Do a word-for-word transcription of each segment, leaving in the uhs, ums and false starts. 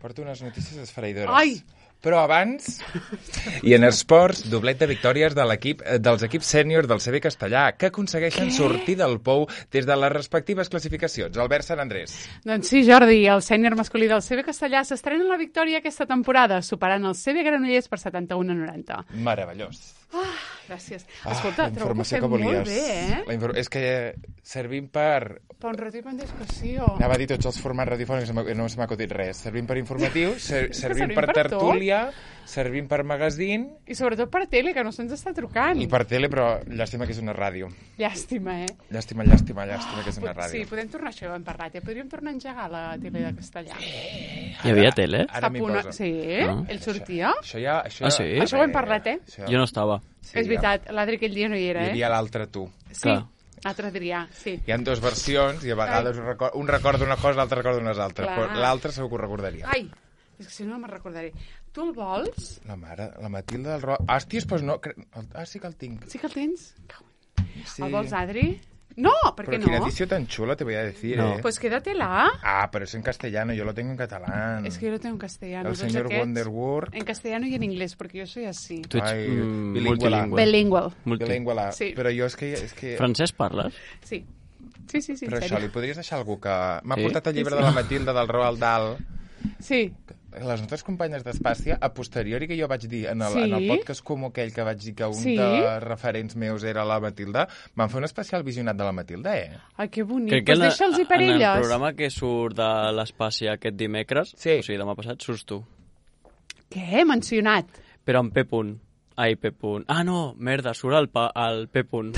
Porto unes notícies esfereïdores. Ai! Però abans, i en esports, doblet de victòries de l'equip dels equips sèniors del C B Castellà, que aconsegueixen Què? sortir del pou des de les respectives classificacions. Albert Sant Andrés. Doncs sí, Jordi, el sènior masculí del C B Castellà s'estrena en la victòria aquesta temporada, superant el C B Granollers per setanta-un a noranta. Meravellós. Ah, gràcies. Ah, Escolta, la trobo que informació fem que volies. molt bé, eh? La infor... És que servim per... Per un ratip en discussió. Anava a dir tots els formats radiofònics, no se m'ha acudit res. Servim per informatiu, ser, servim servim per, per tertúlia, servim per magazín... I sobretot per tele, que no se'ns està trucant. I per tele, però llàstima que és una ràdio. Llàstima, eh? Llàstima, llàstima, llàstima que és una ràdio. Sí, podem tornar a això, hem parlat, eh? Podríem tornar a engegar la tele de Castellà. Hi havia tele? Ara m'hi Una... posa. Sí, Ah. ell sortia. Això ja... Això Ah, ja... sí? Això ho hem parlat, eh? Això... Jo no estava. Sí, És veritat, l'Adri aquell dia no hi era, Hi eh? havia l'altre tu. Sí, Clar. l'altre Adrià, sí. Hi ha dues versions i a vegades un record, un recorda una cosa, l'altre recorda unes altres. Clar. Però l'altre segur que ho recordaria. Ai, és que si no, no me'n recordaré. Tu el vols? La mare, la Matilda del Ro... Hòsties, doncs no... cre- Ah, sí que el tinc. Sí que el tens? Sí. El vols, Adri? No, per Pero què qué no? noticia tan chula te voy a decir, No. ¿eh? Pues quédatela. Ah, pero es en castellano, yo lo tengo en catalán. Es que yo lo tengo en castellano. El tots señor aquests Wonderworld. En castellano y en inglés, porque yo soy así. Tu ets Ai, mm, bilingüe. multilingüe. Bilingual. Multi. Bilingüe, la... Sí. Però jo és que... És que... Francès parles? Sí. Sí, sí, sí, en Però això, serio. li podries deixar algú que... M'ha Sí? portat el llibre Sí, sí. de la Matilda del Roald Dahl. Sí. Les nostres companyes d'Espàcia, a posteriori que jo vaig dir en el, Sí? en el podcast com aquell que vaig dir que un Sí? de referents meus era la Matilda, van fer un especial visionat de la Matilda, eh? Ai, que bonic. Crec que Pues en, la- deixa'ls-hi per en el elles. programa que surt de l'espai aquest dimecres, Sí. o sigui, demà passat, surts tu. Què? Mencionat. Però amb P. punt. Ai, P. punt. Ah, no, merda, surt el, pa, el P. punt.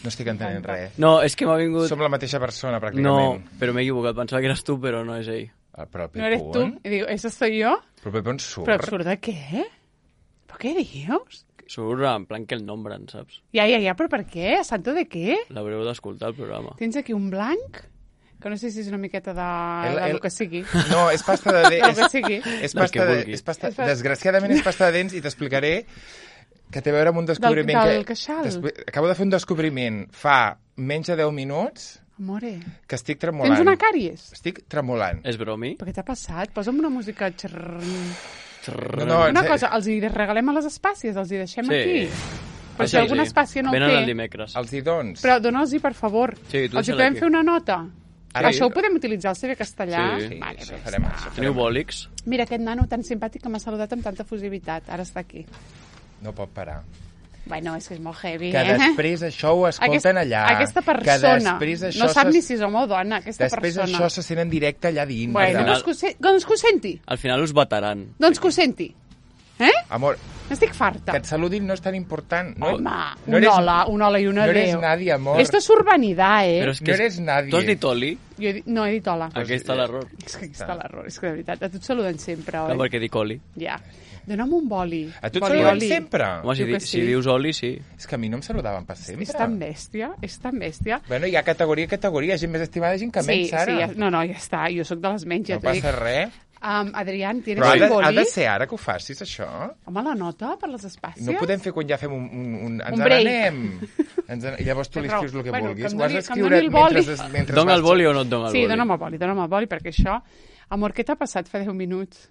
No estic entenent res. No, és que m'ha vingut... Som la mateixa persona, No, pràcticament. però m'he equivocat. Pensava que eres tu, però no és ell. Ah, però el No eres tu. Pepun... I digo, ¿eso soy yo? Però el Pepun surt. ¿Pero surt de què? ¿Però què dius? Surt en plan que el nombren, saps? Ja, ja, ja, però per què? A santo de què? L'haureu d'escoltar, el programa. Tens aquí un blanc, que no sé si és una miqueta de, El- de el- lo que sigui. No, és pasta de Del dents. que sigui. És Del pasta que de, vulgui. és pasta, És pa- desgraciadament és pasta de dents i t'explicaré que té a veure amb un descobriment del que... queixal. Despe- Acabo de fer un descobriment fa menys de deu minuts Amore, que estic tremolant. tens una càries? Estic tremolant. És bromi? Per què t'ha passat? Posa'm una música... Xerr... No, no, Una en cosa, els hi regalem a les espàcies, els hi deixem Sí. aquí. Però Ah, si sí, alguna sí. espàcia no Venen el el té... dimecres. Els hi dons. Però dona'ls-hi, per favor. Sí, tu els hi deixa-la podem aquí. fer una nota? Ara- Això ho podem utilitzar al C B Castellà? Sí. Vale, això doncs farem, va. això Teniu farem. bòlics? Mira, aquest nano tan simpàtic que m'ha saludat amb tanta fusivitat. Ara està aquí. No pot parar. Bueno, és que és molt heavy, Que eh? després això ho escolten allà. Aquesta Que persona després això no sap se- ni si és home o dona, aquesta Després persona. això se sent en directe allà dins. Bueno, Al doncs final- que, ho se... doncs que ho senti. Al final us vetaran. Doncs que ho senti. Eh? Amor, N'estic farta. que et saludin no és tan important. No, Home, no un eres- hola, un hola i un no adéu. eres nadie, amor. Esto es urbanidad, eh? Però és que No eres nadie. Tu has dit Oli? Jo he dit... No, he dit hola. Aquí està l'error. És que aquí està l'error, és que de veritat, a tu et saluden sempre, No, oi? perquè dic Oli. Ja. Dóna'm un boli. A tu et Boli, saluden oli. sempre? Home, si, Diu di, que si sí. dius Oli, sí. És que a mi no em saludaven per sempre. És tan bèstia, és tan bèstia. Bueno, hi ha categoria i categoria, gent més estimada i gent que Sí, menys, Sara. sí, ja, no, no, ja està, jo sóc de les menys, ja No t'ho dic. passa res. Um, Adrián, ¿tienes Però ha un de, ha boli? de ser ara que ho facis, això? Home, la nota per les espàcies? No podem fer quan ja fem un... un, un ens Un break. n'anem. Ens en... Llavors tu li Té raó. escrius el que Bueno, vulguis. que em Ho has doni- que em d'escriure doni el boli. mentre, mentre Dona el vas- boli o no et dona el Sí, boli? dona'm el boli, dona'm el boli, perquè això... Amor, què t'ha passat fa deu minuts?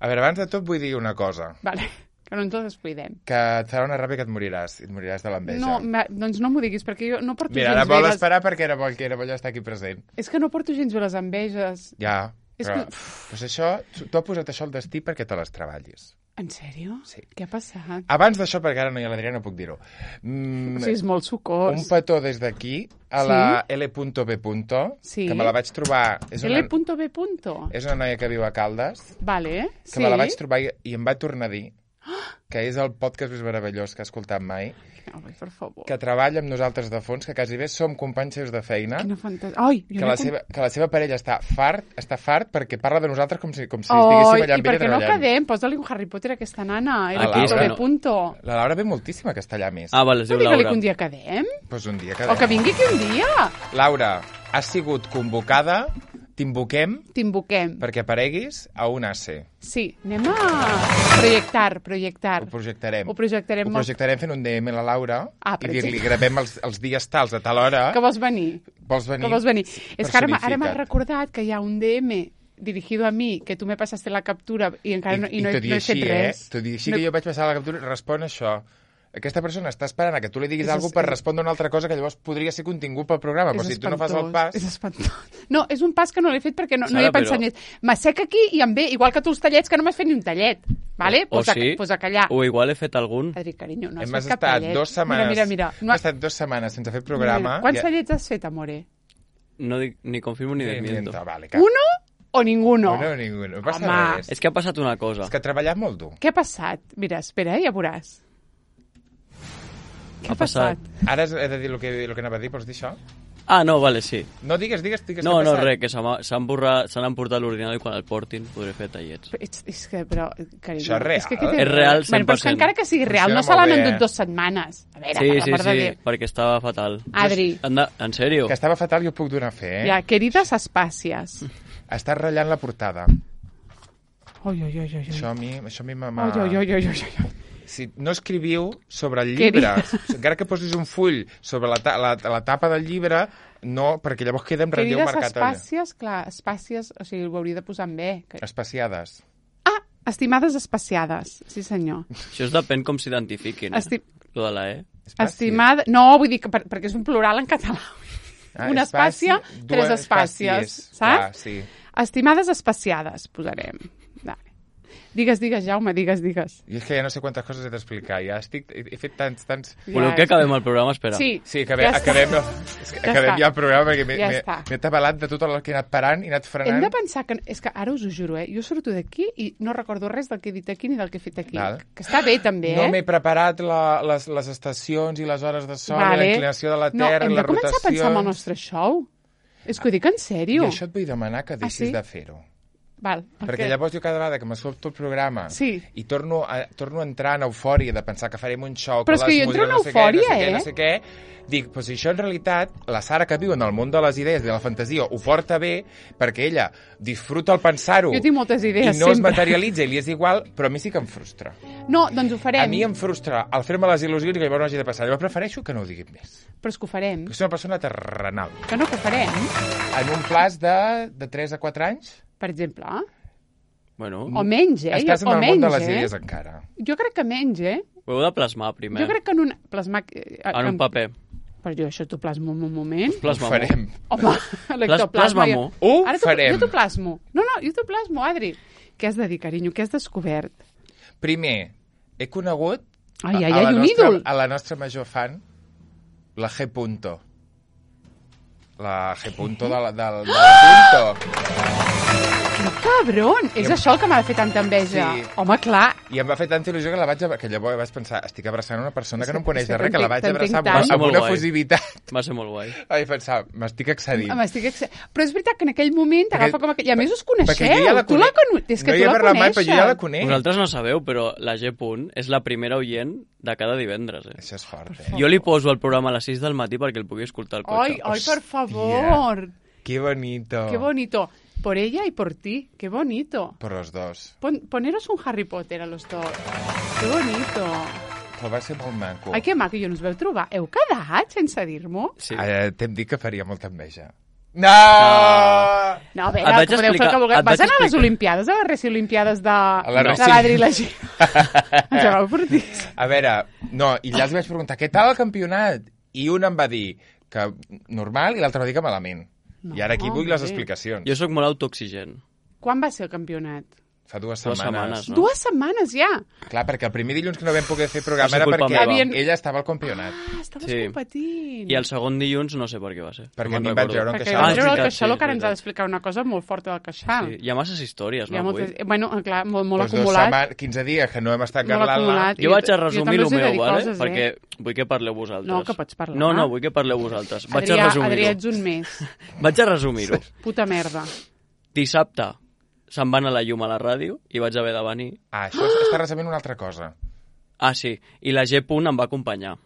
A veure, abans de tot vull dir una cosa. Vale, que no ens ho descuidem. Que et farà una ràbia que et moriràs. I et moriràs de l'enveja. No, ma- doncs no m'ho diguis, perquè jo no porto Mira, ara gens vol bé les... esperar perquè era bo, que era bo ja estar aquí present. És que no porto gens bé les enveges. Ja, És però... que- Pues això, tu tu has posat això al destí perquè te les treballis. En sèrio? Sí. Què ha passat? Abans d'això, perquè ara no hi ha l'Adrià, no puc dir-ho. Mm, O sigui, és molt sucós. un petó des d'aquí a la L B. Sí. Que me la vaig trobar... És una, L B. és una noia que viu a Caldes, Vale, que sí. me la vaig trobar i, i em va tornar a dir que és el podcast més meravellós que ha escoltat mai, Ai, per favor. que treballa amb nosaltres de fons, que quasi bé som companys seus de feina, Quina fantasia. Ai, jo que no la, com- seva, que la seva parella està fart, està fart perquè parla de nosaltres com si, com si Ai, estiguéssim allà i amb per ella què no treballant. quedem? Posa-li un Harry Potter a aquesta nana. El A punto Laura. de punto. La Laura ve moltíssim a castellà més. Ah, val, es No diu digue-li Laura. que un dia quedem. Pues un dia que... O que vingui aquí un dia. Laura, has sigut convocada, t'invoquem T'invoquem. perquè apareguis a un A C. Sí, anem a projectar, projectar. Ho projectarem. Ho projectarem Ho molt. projectarem fent un D M a la Laura Ah, i per dir-li exemple. gravem els, els dies tals a tal hora. Que vols venir? Vols venir? Que vols venir? És que ara, m'ha- ara m'ha Personificat. recordat que hi ha un D M dirigido a mi, que tu me passaste la captura i encara no, i I no, he, tot i no he així, fet eh? res. Tot i així No- que jo vaig passar la captura, respon això. Aquesta persona està esperant a que tu li diguis És alguna es- cosa per respondre una altra cosa que llavors podria ser contingut pel programa, però És si tu no fas el espantós, pas... És espantós. No, és un pas que no l'he fet perquè no, no Sara, hi he pensat però- ni... M'assec aquí i em ve, igual que tu els tallets, que no m'has fet ni un tallet. Vale? O Pues a, sí, pues a callar. o igual he fet algun. Adri, carinyo, no has Hem fet cap estat tallet. dues setmanes, Mira, mira, mira. No hem ha- estat dues setmanes sense fer mira, programa. mira. Quants i- tallets has fet, amore? No dic ni confirmo ni Sí, desmiento. miento, vale, cap. Uno o ninguno? Uno, ninguno. No passa Home. res. És que ha passat una cosa. És que ha treballat molt dur. Què ha passat? Mira, espera, eh, ja veuràs. Què ha, Ha passat. passat? Ara he de dir el que, el que anava a dir, pots dir això? Ah, no, vale, sí. No, digues, digues, digues. No, què ha no, passat? res, que se m'ha- s'han borrat, se n'han portat l'ordinador i quan el portin podré fer tallets. Ets, és que, però, carinyo... Això és real. És, que, què té- És real, Bueno, però és que cent per cent. encara que sigui real, Funciona no se l'han molt bé, endut eh? dues setmanes. A veure, Sí, per sí, l'amor de sí, Déu. perquè estava fatal. Adri, Anda, en sèrio? Que estava fatal, jo ho puc donar fe, eh? ja, querides espàcies. Estàs ratllant la portada. Oi, oi, oi, oi, oi. Això a mi, això a mi m'ha... Oi, oi, oi, oi, oi, oi. Si no escriviu sobre el Què llibre, encara que posis un full sobre la, ta la, la tapa del llibre, no, perquè llavors queda en relleu Querides marcat allà. espàcies, clar, espàcies, o sigui, ho hauria de posar en bé. Que... Espaciades. Ah, estimades espaciades, sí senyor. Això es depèn com s'identifiquin, eh? Esti... Lo de la E. Espàcies. Estimada... No, vull dir que per, perquè és un plural en català. Ah, Una espàcia, espaci- tres dues espàcies, espàcies. saps? Clar, sí. Estimades espaciades, posarem. Vale. Digues, digues, Jaume, digues, digues. I és que ja no sé quantes coses he d'explicar. Ja estic... He, he fet tants, tants... Voleu que acabem el programa? Espera. Sí, Sí, acabem, ja està. acabem, és que Ja acabem està. ja el programa perquè m'he Ja m'he- està. m'he tabalat de tot el que he anat parant i he anat frenant. Hem de pensar que... És que ara us ho juro, eh? Jo surto d'aquí i no recordo res del que he dit aquí ni del que he fet aquí. Val. Que està bé, també, No eh? m'he preparat la, les, les estacions i les hores de sol, Vale. la inclinació de la No, Terra, hem les de començar a pensar en el rotacions... nostre show. És que ho dic en I sèrio. això et vull demanar que deixis sí? de fer-ho. Val. Perquè ok. llavors jo cada vegada que m'escolto el programa Sí. i torno a, torno a entrar en eufòria de pensar que farem un show... Però és que jo entro en no sé eufòria, què, no sé què, eh? no sé què, dic, però si això en realitat, la Sara que viu en el món de les idees, de la fantasia, ho porta bé perquè ella disfruta el pensar-ho Jo tinc moltes idees, i no es sempre. materialitza i li és igual, però a mi sí que em frustra. No, doncs ho farem. A mi em frustra el fer-me les il·lusions i que llavors no hagi de passar. Llavors prefereixo que no ho diguin més. Però és que ho farem. Perquè soc una persona terrenal. Que no, que ho farem, En un plaç de, de tres a quatre anys, per exemple. Bueno, O menys, eh? estàs en o el menys, món de les eh? idees encara. Jo crec que menys, eh? ho heu de plasmar primer. Jo crec que en un... Plasmar... eh, En un paper. Però jo això t'ho plasmo en un moment. Ho Plasma-m'ho. farem. Home, l'ectoplasma... plasma-m'ho. Ho Ara t'ho- farem. Jo t'ho plasmo. No, no, jo t'ho plasmo, Adri. Què has de dir, carinyo? Què has descobert? Primer, he conegut Ai, ai, a, ai, la un nostra, ídol. a la nostra major fan, la G. Punto. La G. Punto de la, de, de la Punto. Que cabron! És I em- això el que m'ha de fer tanta enveja. Sí. Home, clar. I em va fer tanta il·lusió que la vaig... Que llavors vaig pensar, estic abraçant una persona que no em És coneix que de res, que la vaig t'entenc abraçar amb, tant. una- amb Molt una guai. efusivitat. Va ser molt guai. Vaig pensar, m'estic excedint. M'estic ex... Però és veritat que en aquell moment t'agafa Perquè- com... Que... I a més us coneixeu. perquè jo ja la Tu la conec. conu... És que no tu hi he la parlat mai, coneixes. però jo ja la conec. Vosaltres no sabeu, però la G. Punt és la primera oient de cada divendres. Eh? Això és fort, eh? Jo li poso el programa a les sis del matí perquè el pugui escoltar al Ai, cotxe. ai, per favor. Qué bonito. Qué bonito. Por ella y por ti. Qué bonito. Por los dos. Pon, poneros un Harry Potter a los dos. Qué bonito. Però va ser molt maco. Ai, que maco, i on us veu trobar? Heu quedat sense dir-m'ho? Sí. Eh, T'hem dit que faria molta enveja. No! No, a veure, Et vaig podeu fer el explicar- que vulgueu. et vaig Vas anar a les explicar. Olimpiades, a les Reci Olimpiades de, la de Reci. l'Adri i la Gina? Ens vau portir. A veure, no, i allà els vaig preguntar, què tal el campionat? I un em va dir que normal i l'altre va dir que malament. No, I ara aquí vull les bé. explicacions. Jo sóc molt autoexigent. Quan va ser el campionat? Fa dues Dues setmanes. setmanes, no? Dues setmanes ja. Clar, perquè el primer dilluns que no vam poder fer programa Va ser era culpa perquè meva. Havien- ella estava al campionat. Ah, estaves Sí. competint. I el segon dilluns no sé per què va ser. Perquè no a mi me'n em van recordo. treure un Perquè queixal. vam Ah, és treure el veritat, queixal, sí, que ara és ens ha veritat. d'explicar una cosa molt forta del queixal. Sí, hi ha masses històries, Hi ha no, moltes... avui? Bueno, clar, molt, molt Doncs dos acumulat. setmanes, quinze dies que no hem estat Molt garlant-la. acumulat. Jo vaig a Jo resumir també el us he de meu, dir vale? coses, eh? Perquè vull que parleu vosaltres. No, que pots parlar. No, no, vull que parleu vosaltres. Vaig Adrià, a Adrià, resumir-ho. ets un més. Vaig a resumir-ho. Puta merda. Dissabte se'n va anar la llum a la ràdio i vaig haver de venir. Ah, això és- està resumint una altra cosa. Ah, sí, i la G. Punt em va acompanyar.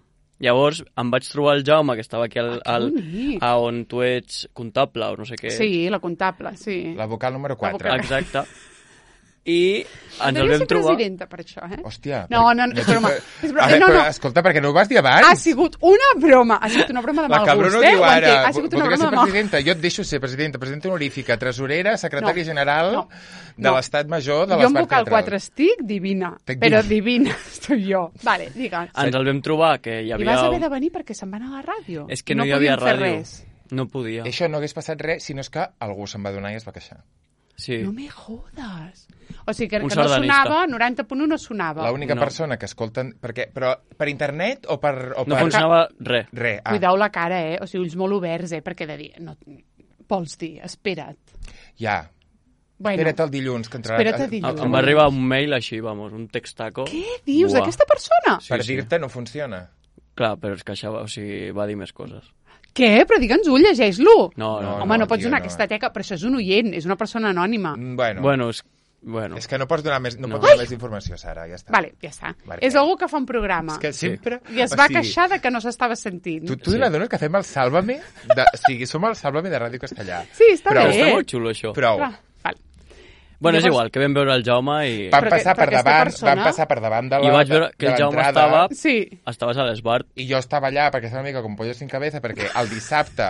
Llavors em vaig trobar el Jaume, que estava aquí al, Ah, que al, bonic. a on tu ets comptable o no sé què. Sí, la comptable, sí. La vocal número quatre. vocal. Exacte. I ens el Devia vam ser trobar... presidenta per això, eh? Hòstia. No, no, no, és broma. És broma. A veure, No, però, no. escolta, perquè no ho vas dir abans? Ha sigut una broma. Ha sigut una broma de La mal Cabró gust, no eh? diu Ho ara. entenc. Ha sigut una Voldria broma ser de mal presidenta. Jo et deixo ser presidenta, presidenta honorífica, tresorera, secretària No. general No. de No. l'Estat Major de Jo en l'Estat vocal Teatral. quatre estic divina, Estic però divina. divina estoy jo. Vale, digues. Ens el vam trobar, que hi I havia... vas haver de venir perquè se'n van a la ràdio. És que no, hi havia podien fer ràdio. res. No podia. Això no hagués passat res, sinó és que algú se'n va donar i es va queixar. Sí. No me jodes. O sigui, que, Un que no sardanista. sonava, noranta punt u no sonava. L'única No. persona que escolten... Perquè, però per internet o per... O No per... funcionava res. Res. Ah, Cuideu la cara, eh? O sigui, ulls molt oberts, eh? Perquè de dir... No, vols dir, espera't. ja. Bueno, Espera't el dilluns, que entrarà... Espera't el dilluns. Em va arribar un mail així, vamos, un textaco. què dius Buah. d'aquesta persona? Sí, Per sí. dir-te no funciona. Clar, però es queixava, o sigui, va dir més coses. Què? Però digue'ns-ho, llegeix-lo. No, no, Home, no, no, pots tio, donar no. aquesta teca, però això és un oient, és una persona anònima. Mm, Bueno, Bueno, és... Bueno. és que no pots donar més, no No. pots donar més informació, Sara, ja està. Vale, ja està. Vale. És algú que fa un programa. És que sempre... I es o va sigui, queixar de que no s'estava sentint. Tu, tu Sí. sí. n'adones que fem el Sálvame? De, o sigui, som el Sálvame de Ràdio Castellà. Sí, està Prou. bé. Està molt xulo, això. Prou. Clar, vale. Bueno, és Llavors- igual, que vam veure el Jaume i... Van Però passar que- per però aquesta davant, persona- van passar per davant de la I vaig veure que de el Jaume l'entrada, estava... Sí. Estaves a l'Esbart. I jo estava allà perquè estava una mica com pollo sin cabeza, perquè el dissabte,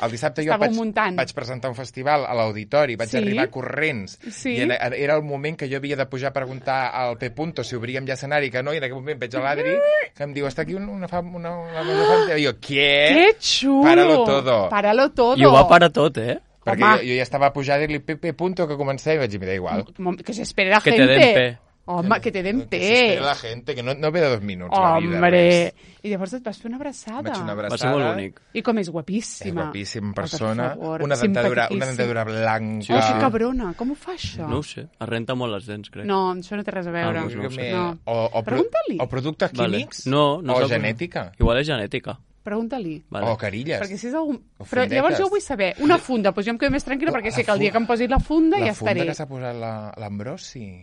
el dissabte jo Estàveu vaig, muntant. vaig presentar un festival a l'auditori, vaig Sí. arribar corrents, Sí. i era, era el moment que jo havia de pujar a preguntar al P. Punto si obríem ja escenari, que no, i en aquell moment veig a l'Adri, que em diu, està aquí una, una, fam- una, una, una fam-". I jo, què? Que xulo! Páralo todo. Páralo todo. I ho va parar tot, eh? Perquè Home. jo, jo ja estava a pujar a dir-li P. Punto que comencé i vaig dir, me da igual. Mom- Que se espere la Que te gente. den pe. Home, que te den Que s'espera pe. la gente, que no, no ve de dos minuts la vida. Hombre. res. I llavors et vas fer una abraçada. Vaig fer una Va abraçada. ser molt bonic. I com és És guapíssima. guapíssima Oh, per persona, favor, una dentadura, una simpaticíssima. dentadura blanca. Sí, Oh, sí. que cabrona, com ho fa això? No ho sé, es renta molt les dents, crec. No, això no té res a veure. Ah, doncs no ho sé. No. O, o, pro- Pregunta-li. o productes Vale. químics No, no o sap- genètica Igual és genètica. Pregunta-li. Vale. o carilles. Perquè si és algun... O Però fundetes. llavors jo vull saber, una funda, doncs jo em quedo més tranquil·la perquè sé que el dia que em posi la funda la ja funda estaré. que s'ha posat la- l'Ambrosi,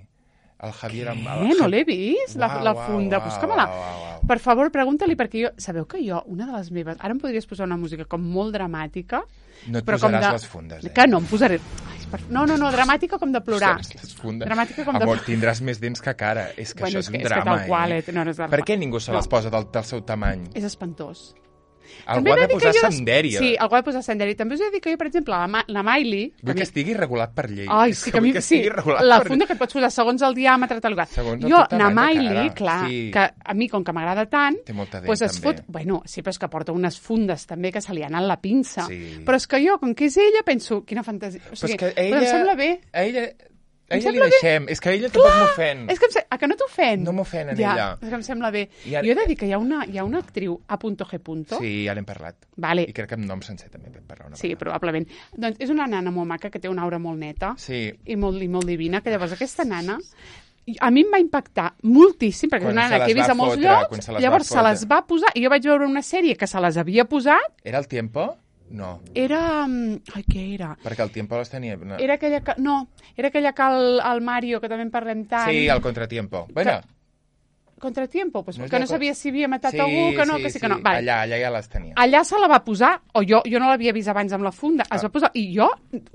el Javier... Amb, Eh, no l'he vist, la, Uau, la uau, funda. uau, Busca-me-la. uau, uau, uau. Per favor, pregunta-li, perquè jo... Sabeu que jo, una de les meves... Ara em podries posar una música com molt dramàtica, No et però com posaràs de... les fundes, eh? Que no, em posaré... Ai, per... No, no, no, dramàtica com de plorar. Ostres, les fundes. Dramàtica com de... Amor, tindràs més dents que cara. És que Bueno, això és és, que- un és que drama, tal qual, eh? eh? No, no és drama. Per què ningú se les No. posa del, del seu tamany? És espantós. Algú ha de he dir que posar jo des- sendèria. Sí, algú ha de posar sendèria. També us he de dir que jo, per exemple, la, Ma la Miley... Vull que estigui regulat per llei. Ai, És sí, que a mi, vull que sí, estigui regulat la per funda que et pots posar segons el diàmetre, tal lugar. Segons el Jo, teu na tamany de Miley, cara. clar, Sí. que a mi, com que m'agrada tant, Té molta dent, pues es també. fot... Bueno, sí, però és que porta unes fundes també que se li ha anat la pinça. Sí. Però és que jo, com que és ella, penso, quina fantasia... O Però sigui, és que però ella... em sembla bé. A ella, a Em ella li sembla bé. deixem. És que a ella tampoc m'ofèn. És que em se... A que no t'ofèn? No m'ofèn en ja, ella. És que em sembla bé. I ara- Jo he de dir que hi ha una, hi ha una actriu, A G. Sí, ja n'hem parlat. Vale. I crec que amb nom sencer també vam parlar una Sí, vegada. probablement. Doncs és una nana molt maca que té una aura molt neta Sí. i molt, i molt divina, que llavors aquesta nana a mi em va impactar moltíssim, perquè Quan és una se nana que he les vist va a molts fotre, quan llocs, se les llavors va se les fotre. va posar, i jo vaig veure una sèrie que se les havia posat, Era el Tiempo? No, era... mm, Ai, què era? perquè el Tiempo les tenia... No. Era aquella que... No, era aquella que el, el Mario, que també en parlem tant... Sí, el Contratiempo. Bueno, Contratiempo, pues, No és que la no co- sabia si havia matat sí, algú, que no, sí, que sí, sí. que no. Vale. Allà, allà ja les tenia. Allà se la va posar, o jo, jo no l'havia vist abans amb la funda, es Ah. va posar, i jo,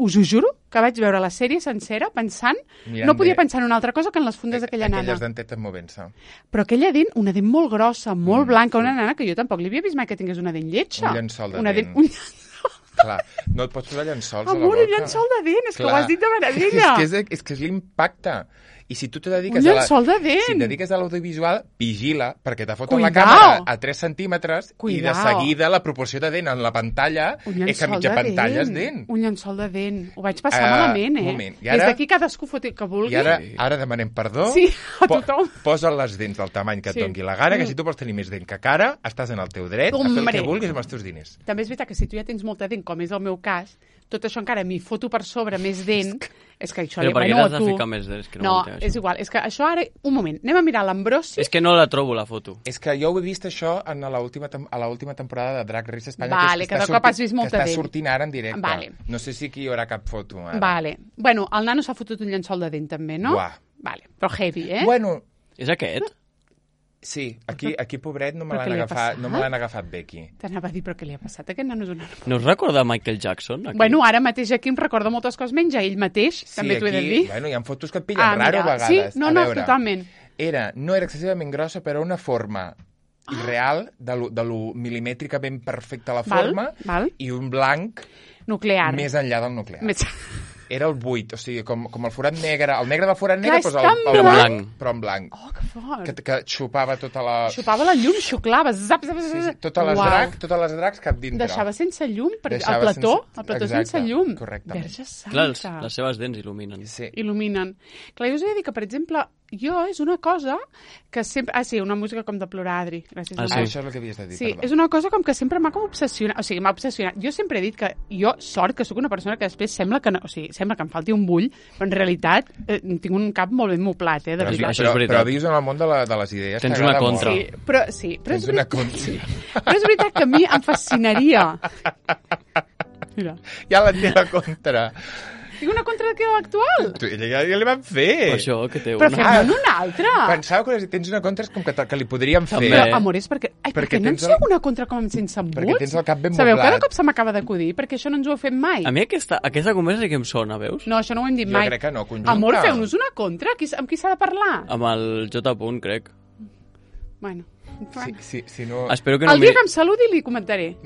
us ho juro, que vaig veure la sèrie sencera pensant, Mirant no podia bé. pensar en una altra cosa que en les fundes d'aquella nana. Aquelles dentetes movent-se. Però aquella dent, una dent molt grossa, molt Mm, blanca, sí. una nana que jo tampoc li havia vist mai que tingués una dent lletja. Un llençol de una dent. Un... Clar, no et pots posar llençols a la Amor, boca. un llençol de dent, és que ho Clar. has dit de meravella. És que és, és, que és l'impacte. I si tu te dediques Un a la... llençol de dent. Si et dediques a l'audiovisual, vigila, perquè te foten la Cuidao. càmera a tres centímetres i de Cuidao. seguida la proporció de dent en la pantalla Un és que llençol mitja de pantalla és dent. dent. Un llençol de dent. Ho vaig passar Ah, malament, eh? un moment. I Des ara- d'aquí cadascú foti que vulgui. I ara, ara demanem perdó. Sí, a Po- tothom. Posa les dents del tamany que et Sí. doni la gana, que si tu vols tenir més dent que cara, estàs en el teu dret a fer el Hombre. que vulguis amb els teus diners. També és veritat que si tu ja tens molta dent, com és el meu cas, tot això encara m'hi foto per sobre més dent, és que això... Però per què bueno, l'has de tu- ficar més dents? Que no No, ho entenc, és això. igual, és que això ara... Un moment, anem a mirar l'Ambrosi. És que no la trobo, la foto. És que jo ho he vist això en l'última tem- a l'última temporada de Drag Race Espanya, Vale, que, és, que està de cop has sortint- vist molta que està dent. sortint ara en directe. Vale. No sé si aquí hi haurà cap foto ara. Vale. Bueno, el nano s'ha fotut un llençol de dent també, no? Buah. Vale, però heavy, eh? Bueno, És aquest? Sí, aquí, aquí pobret, no me Però què l'han li ha agafat, passat? no me l'han agafat bé aquí. T'anava a dir, però què li ha passat? Aquest nano és una... No us recorda Michael Jackson? Aquí? Bueno, ara mateix aquí em recorda moltes coses menys, a ell mateix, Sí, també t'ho he de aquí, dir. bueno, hi ha fotos que et pillen Ah, raro mira, a vegades. sí? No, a no, veure, totalment. Era, no era excessivament grossa, però una forma irreal, de lo, de lo milimètrica ben perfecta la Val, forma, val. i un blanc Nuclear. més enllà del nuclear. Més... Era el buit, o sigui, com, com el forat negre, el negre del forat Clar, negre, és doncs el, tan el blanc. blanc, però en blanc, Oh, que fort. que, que xupava tota la... Xupava la llum, xuclava, zap, zap, zap. Sí, sí, totes les Uau. dracs, totes les dracs cap dintre. Deixava sense llum, perquè Deixava el plató, sense- el plató Exacte, sense llum. correctament. Verge santa. Clar, els, les seves dents il·luminen. Sí. Il·luminen. Clar, jo us he de dir que, per exemple, jo és una cosa que sempre... Ah, sí, una música com de plorar, Adri. Gràcies. Ah, Adri. Ah, sí. això és el que havies de dir, Sí, perdó. és una cosa com que sempre m'ha com obsessionat, o sigui, m'ha obsessionat. Jo sempre he dit que jo, sort, que sóc una persona que després sembla que, no, o sigui, sembla que em falti un bull, però en realitat eh, tinc un cap molt ben moplat, eh, de Però és- veritat. això és però, veritat. però vius en el món de, la, de les idees. Tens t'agrada una contra. molt. Sí, però, sí, però, Tens és una veritat, contra. sí. però és veritat que a mi em fascinaria. Mira, Ja la té la contra. tinc una contra de actual, Tu, ja, ja li van fer. Per això, que té però una... fem-ne una altra. Pensava que si tens una contra és com que, te- que li podríem fer. També. Però, amor, és perquè... Ai, Perquè perquè no en tens el- sé una contra com sense embuts? Perquè tens el cap ben Sabeu, moblat. cada cop se m'acaba d'acudir, perquè això no ens ho heu fet mai. A mi aquesta, aquesta conversa sí que em sona, veus? No, això no ho hem dit Jo mai. crec que no, conjunta. Amor, feu-nos una contra. Qui, amb qui s'ha de parlar? Amb el J. Punt, crec. Bueno, Sí, sí, si no, Espero que no... el dia mi- que em saludi li comentaré.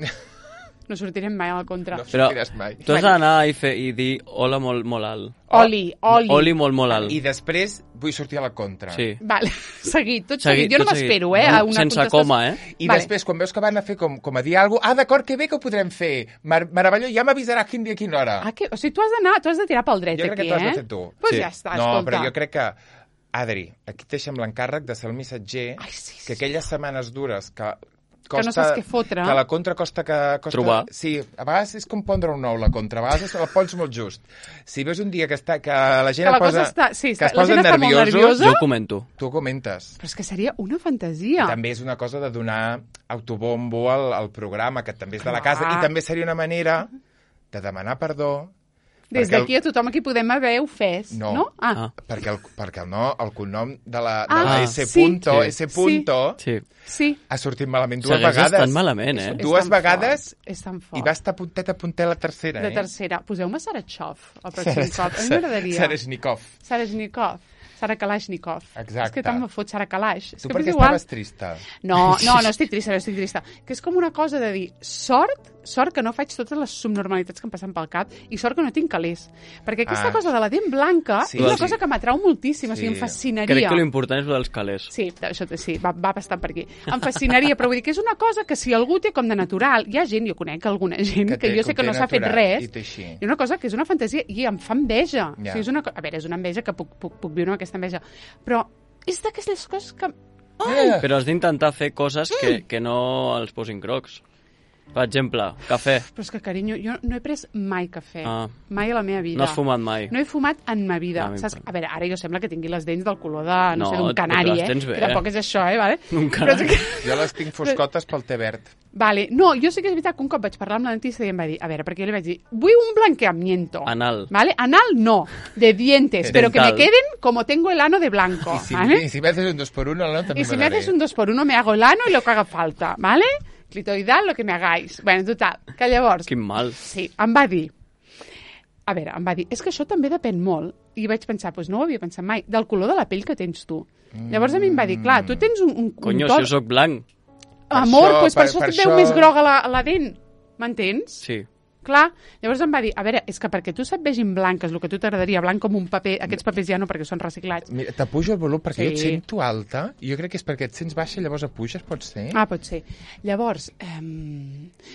No sortirem mai a la contra. no Però sortiràs mai. tu has d'anar i, fer, i dir hola molt, molt alt. Oli, oli. Oli molt, molt alt. I després vull sortir a la contra. Sí. Vale, seguit, tot Seguit, seguit. Jo no tot seguit. m'espero, eh, a una Sense contestació. coma, eh? I Vale. després, quan veus que van a fer com, com a dir alguna cosa, ah, d'acord, que bé que ho podrem fer. Mar Meravellós, ja m'avisaràs quin dia, a quina hora. Ah, que, o sigui, tu has d'anar, tu has de tirar pel dret jo crec aquí, que t'ho has eh? de fer tu. Pues Sí. ja està, no, escolta. però jo crec que... Adri, aquí et deixem l'encàrrec de ser el missatger, Ai, sí, sí, que aquelles setmanes dures que costa, Que no saps què fotre. Que la contra costa que... Costa, Trobar. Sí, a vegades és com pondre un nou, la contra. A vegades la pots molt just. Si veus un dia que, està, que la gent Que la es posa, cosa està- sí, que està- es la posa gent està molt nerviosos, nerviosa. Jo ho comento. tu ho comentes. Però és que seria una fantasia. I també és una cosa de donar autobombo al, al programa, que també és de la Clar. casa, i també seria una manera de demanar perdó. Des perquè el- d'aquí a tothom aquí podem haver ofès, No. no? Ah, Ah. Perquè el, perquè el, no, el cognom de la, de Ah, la S. sí. Punto, Sí. S. Punto, Sí. sí. ha sortit malament dues Segueix vegades. estant malament, eh? És Dues tan vegades fort, és tan fort. i va estar puntet a puntet la tercera, De eh? tercera. Poseu-me Sarachov el pròxim cop. A mi m'agradaria. Sarashnikov. Sarashnikov. Sara Kalashnikov. Exacte. És que tant me fot Sara Kalash. És Tu que per m'és què igual. estaves trista? No, no, no estic trista, no estic trista. Que és com una cosa de dir, sort, sort que no faig totes les subnormalitats que em passen pel cap i sort que no tinc calés. Perquè aquesta Ah. cosa de la dent blanca Sí, és una sí. cosa que m'atrau moltíssim, o sigui, Sí. em fascinaria. Crec que l'important és el dels calés. Sí, això sí, va, va bastant per aquí. Em fascinaria, però vull dir que és una cosa que si algú té com de natural, hi ha gent, jo conec alguna gent que, Que té- jo sé que que té no s'ha fet natural res, i té així. i una cosa que és una fantasia i em fa enveja. Ja. O sigui, és una, co- a veure, és una enveja que puc, puc, puc viure amb aquesta enveja, però és d'aquestes coses que... Eh, Però has d'intentar fer coses que, que no els posin crocs. Per exemple, cafè. Però és que, carinyo, jo no he pres mai cafè. Ah. Mai a la meva vida. No has fumat mai. No he fumat en ma vida. Ah, Saps? m'importa. A veure, ara jo sembla que tingui les dents del color de, no, No, sé, d'un però canari, les eh? tens bé, Que tampoc eh? és això, eh? Vale? Un Però és canari. que... Jo les tinc foscotes pel té verd. Vale, no, jo sí que és veritat que un cop vaig parlar amb la dentista i em va dir, a veure, perquè jo li vaig dir, vull un blanqueamiento. Anal. ¿Vale? Anal no, de dientes, pero que me Dental. queden como tengo el ano de blanco, Y si, ¿vale? y si me haces un dos por uno, ¿no? También Y si me me daré. haces un dos por uno me hago el ano y lo que haga falta, ¿vale? Clitoidal, lo que me hagáis. Bueno, total, que llavors... Quin mal. Sí, em va dir... A veure, em va dir, és que això també depèn molt. I vaig pensar, doncs no ho havia pensat mai, del color de la pell que tens tu. Llavors a mi em va dir, clar, tu tens un... un Conyo, un to... si jo sóc blanc. Amor, això, doncs per, per- això per et veu això- més groga la, la dent. M'entens? Sí. Clar, llavors em va dir, a veure, és que perquè tu se't vegin blanques, el que a tu t'agradaria, blanc com un paper, aquests papers ja no perquè són reciclats. Mira, t'apujo el volum perquè Sí. jo et sento alta i jo crec que és perquè et sents baixa i llavors apuges, pot ser? Ah, pot ser. Llavors, eh,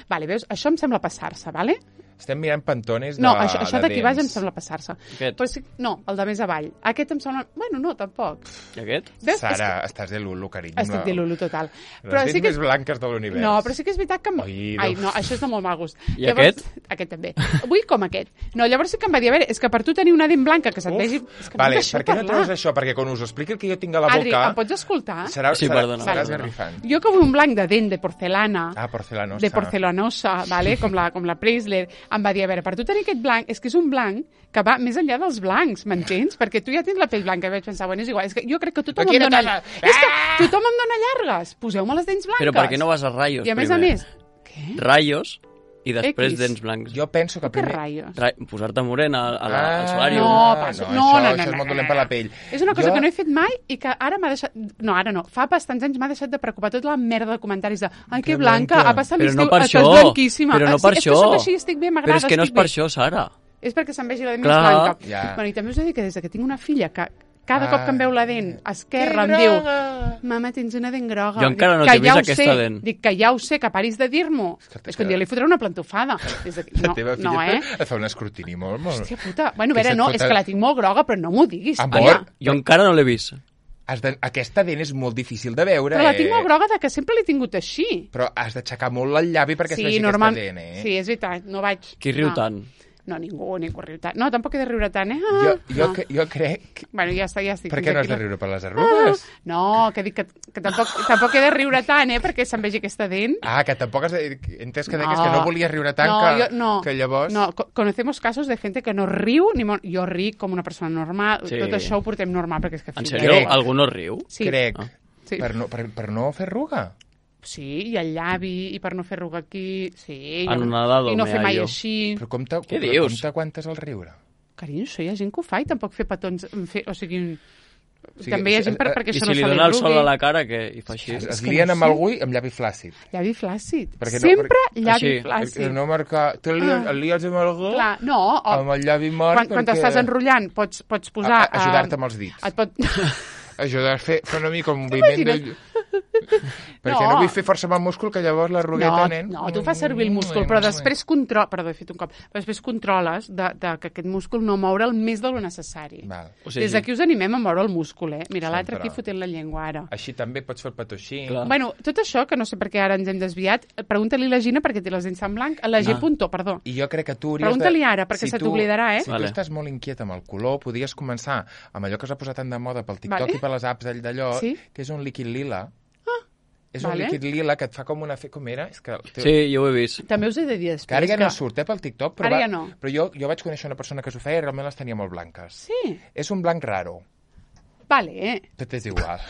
vale, veus, això em sembla passar-se, vale? Estem mirant pantones de No, això, això de d'aquí baix em dents. sembla passar-se. Aquest. Però sí, no, el de més avall. Aquest em sembla... Bueno, no, tampoc. I aquest? Veus? Sara, estàs de Lulu, carinyo. Estic de Lulu total. Les dents que més blanques de l'univers. No, però sí que és veritat que... Em... Ai, Ai, no. no, això és de molt mal gust. I aquest? Aquest també. Vull com aquest. No, llavors sí que em va dir, a veure, és que per tu tenir una dent blanca que se't Uf. vegi... És que Vale, no em deixeu per què no parlar. treus això? Perquè quan us ho expliqui el que jo tinc a la Adri, boca... em pots escoltar? Serà, Sí, serà, perdona, seràs perdona. garrifant. Jo que vull un blanc de dent de porcelana, Ah, porcelanosa. de porcelanosa, vale? com, la, com la Preisler, em va dir, a veure, per tu tenir aquest blanc, és que és un blanc que va més enllà dels blancs, m'entens? Perquè tu ja tens la pell blanca, i vaig pensar, bueno, és igual, és que jo crec que tothom em dona... És que tothom em dona llargues, poseu-me les dents blanques. Però per què no vas a Rayos I a més primer? a més... Què? Rayos i després X. dents blancs. Jo penso que Per què primer... raios? Ra Posar-te morena a la, Ah, al solari. No, Ah, passo. no, No, això- no, no, això és no, molt no, dolent no, per la no. pell. És una cosa Jo- que no he fet mai i que ara m'ha deixat... No, ara no. Fa bastants anys m'ha deixat de preocupar tota la merda de comentaris de ai, que Que blanca, blanca. ha passat Però l'estiu, no per estàs això. blanquíssima. Però no Ah, sí, per és això. que soc així, estic bé, m'agrada, Però és que no és estic per bé. això, Sara. És perquè se'm vegi la dent Clar. més blanca. Ja. Bueno, i també us he de dir que des que tinc una filla que cada Ah. cop que em veu la dent esquerra Que em diu groga. mama, tens una dent groga. Jo encara no Dic, t'he que ja vist ho aquesta sé. dent. Dic que ja ho sé, que paris de dir-m'ho. que- És que un dia li fotré una plantofada. Des d'aquí. La No, teva filla no, eh? et fa un escrutini molt, molt... Hòstia puta. Bueno, a Que veure, se't no, fota- és que la tinc molt groga, però no m'ho diguis. Amor. tia. Jo encara no l'he vist. Has de... Aquesta dent és molt difícil de veure, Però la eh? tinc molt groga de que sempre l'he tingut així. Però has d'aixecar molt el llavi perquè es Sí, vegi normal... aquesta dent, eh? Sí, és veritat, no vaig... Qui riu no. tant? No, ningú, ningú riu tant. No, tampoc he de riure tant, eh? Ah, Jo, jo, no. que- jo crec... Bueno, ja està, ja estic. Per fins què no has aquí. de riure per les arrugues? No, que dic que, que tampoc, tampoc he de riure tant, eh? Perquè se'm vegi aquesta dent. Ah, que tampoc has de... He entès que deies que no volies riure tant no, que, jo, no, que llavors... No, co- conocemos casos de gente que no riu, ni mo... jo ric com una persona normal, Sí. tot això ho portem normal, perquè és que... En fins- sèrio? Crec. Algú no riu? Sí. Crec. Ah. Sí. Per, no, per, per no fer arruga. Sí, i el llavi, i per no fer arruga aquí, sí. En i no- una dado I no me fer mai hallo. així. Però com, te, Què però dius? com t'aguantes el riure? Carinyo, això hi ha gent que ho fa i tampoc fer petons... Fer, o sigui, sigui, també hi ha gent per, eh, perquè I això si no li se dona el sol arrugui. a la cara, que hi fa així? Es, És es que lien no amb sé. algú i amb llavi flàcid. Llavi flàcid. Perquè no- Sempre perquè- llavi Així. flàcid. Que no marcar... Tu li, Ah. el lies amb algú Clar, no, o, amb el llavi mort quan, quan perquè... t'estàs enrotllant pots, pots A- posar... a- Ajudar-te eh, amb els dits. Et pot... Ajudar a fer, fer una mica un moviment del... Perquè no. No. vull fer força amb el múscul, que llavors la rugueta, No, nen... no, tu fas servir el múscul, però després control, perdó, he fet un cop, però després controles de, de que aquest múscul no moure'l més del necessari. Val. O sigui, Des d'aquí us animem a moure el múscul, eh? Mira, l'altre Sempre. aquí fotent la llengua, ara. Així també pots fer el petó així. Clar. Bueno, tot això, que no sé per què ara ens hem desviat, pregunta-li a la Gina perquè té les dents tan blanc, a la G. Ah. Punto, perdó. I jo crec que tu hauries Pregunta-li de... ara, perquè se tu- t'oblidarà, eh? Si Vale. tu estàs molt inquiet amb el color, podries començar amb allò que s'ha posat tan de moda pel TikTok Vale. i per les apps d'all d'allò, Sí. que és un líquid lila. És vale. un líquid lila que et fa com una... Fe... Com era? És que... Sí, jo ho he vist. També us he de dir després Que ara ja no surt, eh, pel TikTok, però, Ara va... ja no. però jo, jo vaig conèixer una persona que s'ho feia i realment les tenia molt blanques. Sí, És un blanc raro. vale, eh? Tot és igual.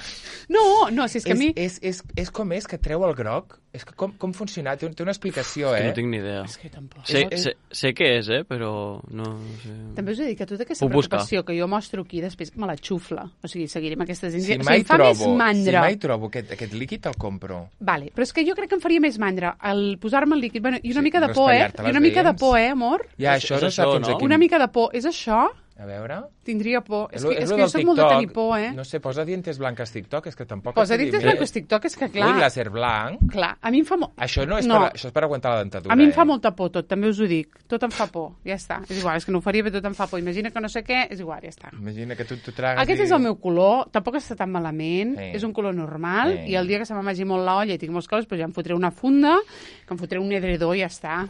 No, no, si és que és, a mi... és, és, és com és que treu el groc? És que com, com funciona? Té, té una explicació, És que eh? no tinc ni idea. És que tampoc. Sé, és- sé, sé què és, eh, però no, no sé. També us he dit que tota aquesta Puc buscar. preocupació que jo mostro aquí després me la xufla. O sigui, seguirem aquestes dents. Si o sigui, mai em fa trobo, més si mandra. mai trobo aquest, aquest líquid, el compro. Vale, però és que jo crec que em faria més mandra el posar-me el líquid. Bueno, I una Sí, mica de no por, eh? espatllar-te I una les mica de dents. por, eh, amor? Ja, És- això és no sap això, fins no? aquí. Una mica de por. És això? A veure... Tindria por. És, lo- que, és lo que jo del soc molt de tenir TikTok. por, eh? No sé, posa dientes blanques TikTok, és que tampoc... Posa et sé dintes dir. blancos TikTok, és que clar... Ui, láser blanc. Clar, a mi em fa molt... Això no és, No. Per, això és per aguantar la dentadura, A mi em fa eh? molta por tot, també us ho dic. Tot em fa por, ja està. És igual, és que no ho faria, però tot em fa por. Imagina que no sé què, és igual, ja està. Imagina que tu t'ho tragues Aquest i... és el meu color, tampoc està tan malament, Eh. és un color normal, Eh. i el dia que se m'amagi molt l'olla i tinc molts colors, doncs ja em fotré una funda, que em fotré un edredor i ja està.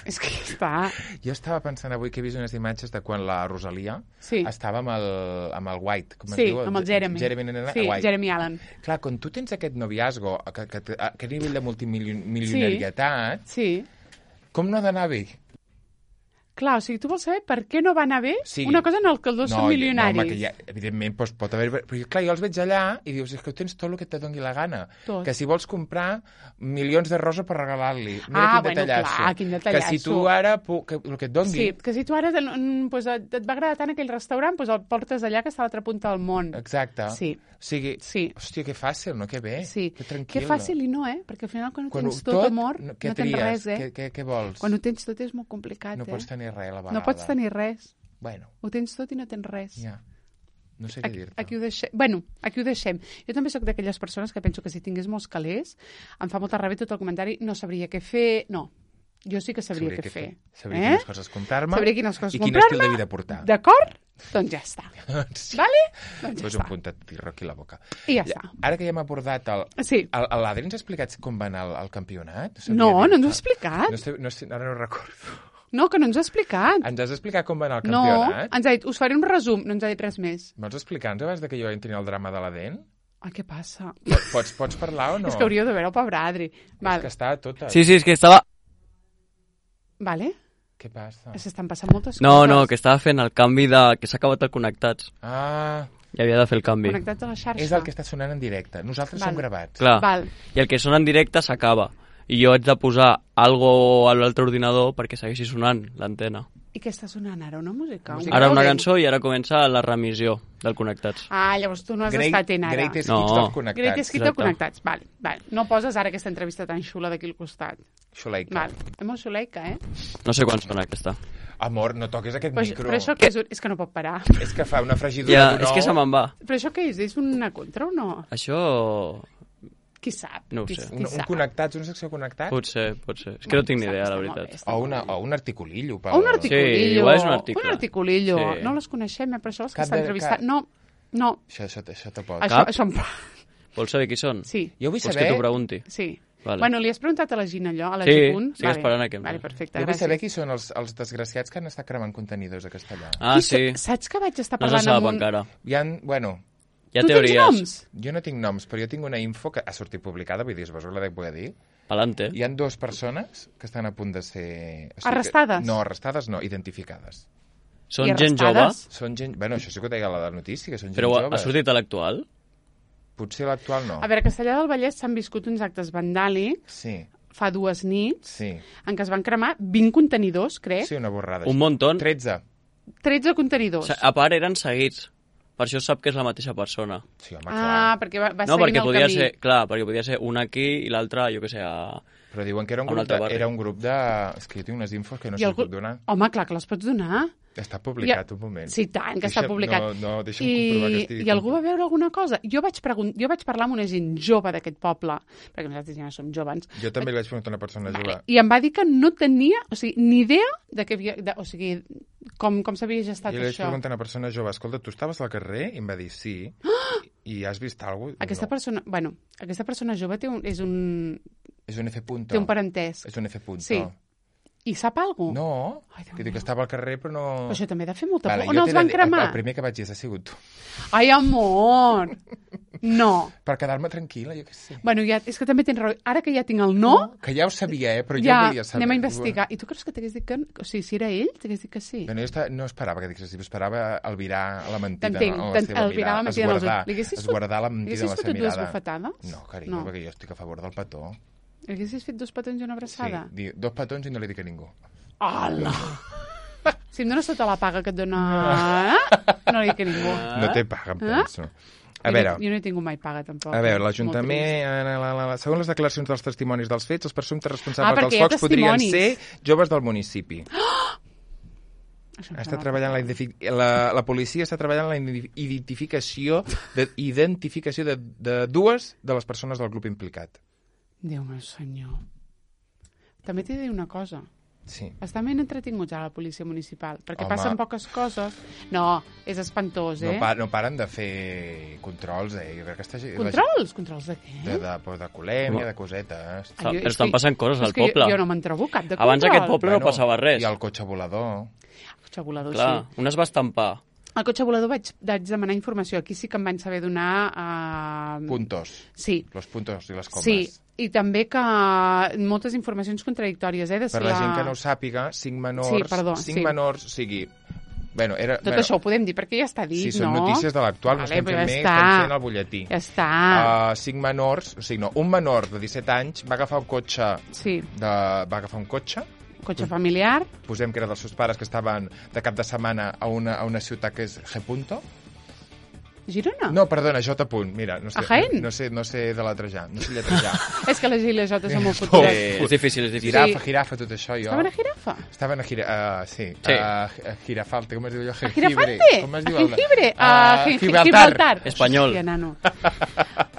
És que ja està. Jo estava pensant avui que he vist unes imatges de quan la Rosalia Sí. estava amb el, amb el White. Com es Sí, diu? amb el Jeremy. Jeremy, nena, sí, White. Jeremy Allen. Clar, quan tu tens aquest noviazgo, que, que, que, aquest nivell de multimilionarietat, Sí. com no ha d'anar bé? Clar, o sigui, tu vols saber per què no va anar bé Sí. una cosa en el que els dos no, són milionaris? No, home, que ja, evidentment doncs, pot haver... Però clar, jo els veig allà i dius, és que ho tens tot el que te doni la gana. Tot. Que si vols comprar milions de rosa per regalar-li. Mira Ah, quin bueno, detallasso. clar, quin Que detallasso. si tu ara, pu- que, el que et doni... Sí, que si tu ara mm, pues, et, et va agradar tant aquell restaurant, pues el portes allà que està a l'altra punta del món. Exacte. Sí. O sigui, Sí. hòstia, que fàcil, no? Que bé. Sí. Que tranquil. Que fàcil i no, eh? Perquè al final quan ho Quan tens ho- tot, tot, amor, no- no, què tens tries? res, eh? Què- què- què vols? Quan ho tens tot és molt complicat, No eh? pots tenir res a la vegada. No pots tenir res. Bueno, Ho tens tot i no tens res. ja. No sé què Aquí, dir-te. aquí ho deixem. Bueno, aquí ho deixem. Jo també sóc d'aquelles persones que penso que si tingués molts calés, em fa molta ràbia tot el comentari, no sabria què fer... No, jo sí que sabria, què fer. Sabria eh? quines coses comprar-me Sabria quines coses i quin comprar-me. estil de vida portar. D'acord? Doncs ja està. Sí. Vale? Doncs ja Posa un està. puntet de aquí a la boca. I ja està. Ara que ja hem abordat el... Sí. el- el- L'Adri ens ha explicat com va anar el, el campionat? sabia No, no dir-te. ens ho ha explicat. No sé, no sé, ara no recordo. No, que no ens ha explicat. Ens has explicat com va anar el No, campionat? ens ha dit, us faré un resum, no ens ha dit res més. Vols explicar-nos abans de que jo entri en el drama de la dent? Ai, què passa? Pots, pots parlar o no? És que hauríeu de veure el pobre Adri. És Val. que està tota... Sí, sí, és que estava... Vale? Què passa? S'estan passant moltes No, coses. no, que estava fent el canvi de... que s'ha acabat el connectats. Ah, I havia de fer el canvi. Connectats a la xarxa. és el que està sonant en directe. Nosaltres Val. som gravats. Clar. Val. I el que sona en directe s'acaba. I jo haig de posar algo a l'altre ordinador perquè segueixi sonant l'antena. I què està sonant ara? Una música? Música. Ara una còding? cançó i ara comença la remissió del Connectats. Ah, llavors tu no has Great, estat en ara. greatest No. hits dels connectats. Greatest Hits Exacte. connectats. Vale, vale. No poses ara aquesta entrevista tan xula d'aquí al costat. Xuleica. Vale. És molt xuleica, eh? No sé quan sona aquesta. Amor, no toques aquest Però, micro. però això què és? És que no pot parar. És que fa una fregidura Ja, d'un és que ou. se me'n va. Però això què és? És una contra o no? Això... Qui sap? No ho qui, sé. qui Un, un sap? connectats, una secció connectats? Pot ser, pot ser. És que no tinc ni Està- idea, està la molt bé, veritat. està O, molt una, bé. o un articulillo. Pel... O un articulillo. igual és un article. Un articulillo. Sí. No les coneixem, eh? Però això les que Cap s'han de- entrevistat... cap- No, no. Això, això, això te pot. Això, Cap? això em... Vols saber qui són? Sí, Jo vull Vols saber... que t'ho pregunti? sí. Vale. Bueno, li has preguntat a la Gina allò? A la Sí, G-Punt? estic esperant a que em- Vale, perfecte, Jo vull gràcies. saber qui són els, els desgraciats que han estat cremant contenidors a Castellà. Ah, Qui sí. sa- Saps que vaig estar No se parlant sap amb un... encara. Hi ha, bueno, Hi ha tu tens teories. noms? jo no tinc noms, però jo tinc una info que ha sortit publicada, vull dir, vos la dec poder dir. Palante. Hi ha dues persones que estan a punt de ser... o sigui Arrestades? Que, no, arrestades no, identificades. Són I gent jove, arrestades? Són gent... Bueno, això sí que ho deia la notícia, que són gent però ha joves. sortit a l'actual? Potser l'actual no. A veure, a Castellà del Vallès s'han viscut uns actes vandàlics Sí, fa dues nits sí. en què es van cremar vint contenidors, crec. Sí, una borrada. Un muntó. tretze. tretze contenidors. A part, eren seguits. Per això sap que és la mateixa persona. Sí, home, Ah, clar. perquè va, va No, seguint perquè el podia camí. ser... Clar, perquè podia ser un aquí i l'altre, jo què sé, a... Però diuen que era un, a un grup altre de, barri. era un grup de... És que jo tinc unes infos que no I sé si algú- puc donar. Home, clar que les pots donar. Està publicat, I- un moment. Sí, tant, que està Deixa- publicat. No, no, deixa'm comprovar que I, estigui... I algú va veure alguna cosa? Jo vaig, pregun... jo vaig parlar amb una gent jove d'aquest poble, perquè nosaltres ja no som joves, Jo també li vaig preguntar a una persona jove. i em va dir que no tenia, o sigui, ni idea de que havia, de, o sigui, com, com s'havia gestat Jo li vaig això. preguntar a una persona jove, escolta, tu estaves al carrer? I em va dir sí. I has vist alguna cosa? Aquesta no. persona, bueno, aquesta persona jove té un, és un, És un F punto. té un parentès. És un F punto. Sí. I sap alguna cosa? No, Ai, Déu que dic meu. que estava al carrer però no... Però això també ha de fer molta Vale, por. jo On t'he els de van dir- cremar? El primer que vaig dir ha sigut tu. Ai, amor! No. Per quedar-me tranquil·la, jo què sé. Bueno, ja, és que també tens raó. Ara que ja tinc el no, Que ja ho sabia, eh? Però jo ja volia saber. anem a investigar. I tu creus que t'hagués dit que... O sigui, si era ell, t'hagués dit que sí. Bueno, jo estava, no esperava que diguessis, esperava albirar la mentida T'entenc, en la t'en- seva albirar la mirada. mentida en els ulls. Esguardar, Li haguessis fot- esguardar la li mentida en haguessis la seva fotut dues mirada. bufetades? No, carinyo, No. perquè jo estic a favor del petó. Li haguessis fet dos petons i una Sí, abraçada? di- dos petons i no li dic a ningú. Hola! Si em dones tota la paga que et dona... No li dic a ningú. No té paga, em Ah? penso. A Jo veure, no- Jo no he tingut mai paga, tampoc. a veure, Molt trist. l'Ajuntament, eh, la, la, la, segons les declaracions dels testimonis dels fets, els presumptes Ah, responsables perquè dels hi ha focs podrien testimonis. ser joves del municipi. Això em Està sembla treballant la, fatal. identifi- la, la policia està treballant en la indi- identificació de, identificació de, de dues de les persones del grup implicat. Déu meu senyor. També t'he de dir una cosa. Sí. Estan ben entretinguts a la policia municipal, perquè Home. passen poques coses. No, és espantós, eh? No, pa, no paren de fer controls, eh? Jo crec que està, Controls? Controls de què? De, de, de, de colèmia, Home. de cosetes. Ah, jo- és Però estan que- passant coses és al que jo- poble. Jo no me'n trobo cap de control. Abans aquest poble no passava res. I el cotxe volador. El cotxe volador, Clar, sí. un es va estampar. Al cotxe volador vaig, vaig demanar informació. Aquí sí que em van saber donar... Uh... Puntos. Sí, Los puntos i les comes. sí. I també que moltes informacions contradictòries, eh? De si Per la gent que no ho sàpiga, cinc menors... Sí, perdó, cinc sí. menors, o sigui... Bueno, era, Tot bueno, això ho podem dir, perquè ja està dit, sí, són no? notícies de l'actual, no Vale, estem però fent ja més, està. estem fent el butlletí. Ja està. Uh, cinc menors, o sigui, no, un menor de disset anys va agafar un cotxe, Sí, de, va agafar un cotxe, cotxe familiar. posem que era dels seus pares que estaven de cap de setmana a una, a una ciutat que és G. Punto. Girona? No, perdona, J. Punt, mira, no sé, A Jaén? no sé, no sé de letrejar, no sé lletrejar. És que les I i les J són molt Oh, futures. Eh, és difícil, és difícil. Girafa, girafa, tot això, jo. Estaven a Girafa? Estaven a gira... Uh, sí, Sí. a uh, Girafalte, com es diu allò? A Girafante? Com es A diu? el- Jengibre? A Ah, Gi- Gibraltar. Gibraltar. Espanyol. Hòstia, nano.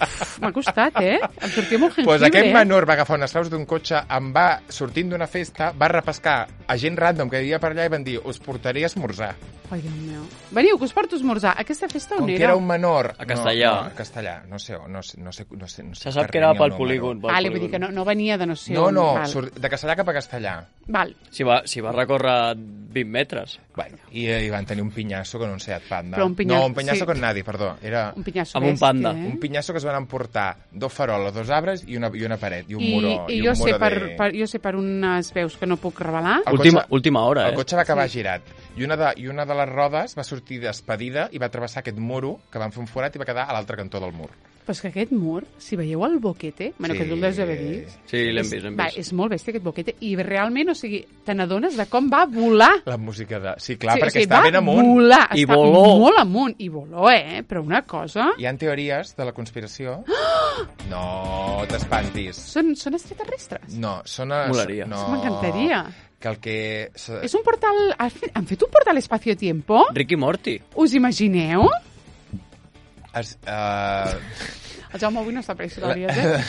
Uf, M'ha costat, eh? Em sortia molt jengibre. Pues aquest menor va agafar unes claus d'un cotxe, em va, sortint d'una festa, va repescar a gent random que hi havia per allà i van dir, us portaré a esmorzar. Ai, Déu meu. Veniu, que us porto a esmorzar. Aquesta festa on Com que era? era un menor... A Castellà. No, no, a Castellà. No sé, no sé, no sé, no sé, no sé Se sap per que era què n'hi ha pel un polígon. pel Vale, vull dir polígon. que no, no venia de no sé No, on. no, Val. surt de Castellà cap a Castellà. Val. Si va, si va recórrer vint metres. Bueno, i, i van tenir un pinyasso con un Seat Panda. Però un pinyasso- No, un pinyasso sí. con nadie, perdó. Era Un pinyasso Amb un bèstia, panda. Eh? un pinyasso que es van emportar dos faroles, dos arbres i una, i una paret, i un I, muro. i, i jo, un sé muro per, de... per, jo sé per unes veus que no puc revelar. El Última, cotxe- última hora, El eh? cotxe va acabar Sí. girat i una, de, i una de les rodes va sortir despedida i va travessar aquest muro que van fer un forat i va quedar a l'altre cantó del mur. Però és que aquest mur, si veieu el boquete, bueno, Sí. que tu el deus haver vist, Sí, l'hem és- vist, l'hem va, vist. és molt bèstia aquest boquete, i realment, o sigui, te n'adones de com va volar. La música de... Sí, clar, sí, perquè o sigui, està va ben amunt. volar, I està voló. molt amunt, i voló, eh? Però una cosa... Hi ha teories de la conspiració... No t'espantis. Són, són extraterrestres. No, són... A... Molaria. No, M'encantaria. Que el que... És un portal... Han fet, han fet un portal espacio-tiempo? Ricky Morty. Us imagineu? Es, uh... El Jaume avui no està per històries, eh?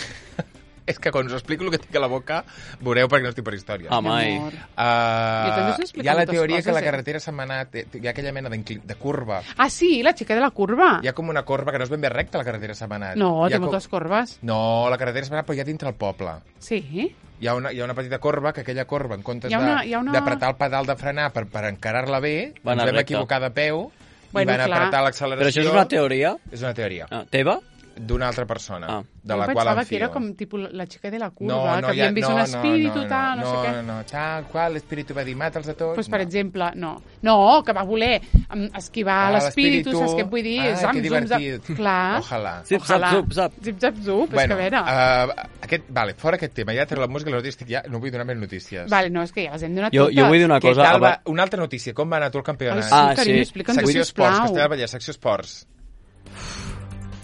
És que quan us explico el que tinc a la boca, veureu perquè no estic per història. Ah, mai. Amor. Jo també us Uh, explico hi ha la moltes teoria coses, que la eh? carretera setmanat hi ha aquella mena d'incli- de curva. Ah, sí, la xica de la curva. Hi ha com una corba que no és ben bé recta, la carretera setmanat. No, hi ha té moltes corbes. No, la carretera setmanat, però hi ha dintre el poble. Sí. Hi ha, una, hi ha una petita corba, que aquella corba, en comptes Hi ha una- hi ha de- una- d'apretar el pedal de frenar per, per encarar-la bé, Va ens anar vam recte. equivocar de peu Bueno, i van clar. apretar l'acceleració. Però això és una teoria És una teoria. ah, teva? D'una altra persona, Ah. de jo la qual pensava em que fio. era com tipus la xica de la curva, no, no, que havien ja- vist no, un no, espíritu, no, tal, no, no, sé què. No, no, tal qual, l'espíritu va dir mata'ls a tots. Pues, per no. exemple, no. No, que va voler em, esquivar Ah, l'espíritu, l'espíritu. saps què et vull dir? Ah, Zam, que zum, zap. divertit. Clar. Ojalà. Zip, zap, Ojalà. zup, zap. Zip, zap, zup, és Bueno, que a veure. uh, aquest, vale, fora aquest tema, ja treu la música, les estic ja, no vull donar més notícies. Vale, no, és que ja les hem donat Jo, totes. jo vull dir una Què cosa... tal va, aba- una altra notícia, com va anar tu el campionat? Ai, sí, Ah, carinyo, sí. explica'ns, Secció Esports, sisplau. Castellà del Vallès, secció Esports.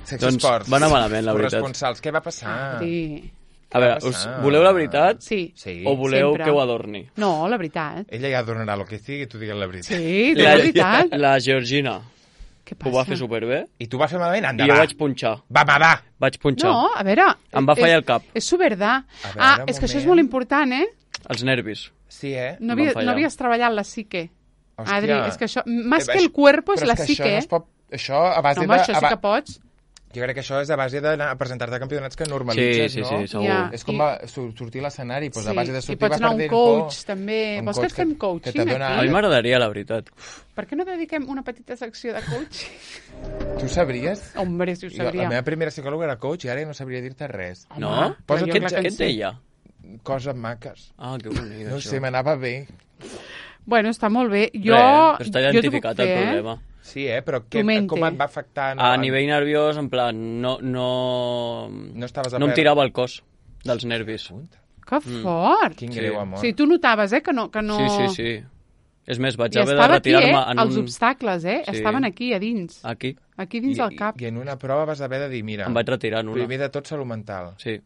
Secció Doncs Esports. va anar malament, la veritat. Corresponsals, què va passar? Sí. A veure, va us, passar? voleu la veritat? Sí. Sí. O voleu Sempre. que ho adorni? No, la veritat. Ella ja donarà el que sigui i tu digues la veritat. Sí, de La, veritat. la Georgina Què ho va fer superbé I tu vas fer malament? i Anda, jo va. vaig punxar. Va, va, va. Vaig punxar. No, a veure... Em va fallar és- el cap. És subverdà. A veure, Ah, un és que això és moment. molt important, eh? Els nervis. Sí, eh? No, Em havia, van fallar. no havies treballat la psique. Hòstia. Adri, és que això... Más Eh, que això- el cuerpo és però la que psique, Això, no eh? es pot, això a base No, home, de... això a sí ba- que pots. Jo crec que això és a base d'anar a presentar-te a campionats que normalitzes, Sí, sí, no? sí, segur. Ja. És com I- va sur- sortir a l'escenari, doncs a base de I sortir pots va anar a un perdent coach, por. també. Un Vols que et coach fem que- que coaching, te dona- A mi aquí? m'agradaria, la veritat. Per què no dediquem una petita secció de coaching? Tu sabries? Hombre, si ho Jo, la sabria. meva primera psicòloga era coach i ara no sabria dir-te res. Home, No? però Posa't jo Què, clar et- que què en et sé. deia? Coses maques. Ah, que bonic, No ho això. sé, m'anava bé. Bueno, està molt bé. Jo, Res, però està jo t'ho puc identificat el fer, eh? problema. Sí, eh? Però Tu què, mente. com et va afectar? No, A nivell nerviós, en plan, no... No, No estaves a no em per- tirava el cos dels nervis. Que fort! Quin Sí. greu O amor. sigui, tu notaves, eh, que no... Que no... Sí, sí, sí. És més, vaig I haver de estava aquí, eh? retirar-me en Els un... obstacles, eh? Sí. Estaven aquí, a dins. Aquí. Aquí dins I, del cap. I, I en una prova vas haver de dir, mira, Em vaig retirar en una. primer de tot salut mental. Sí.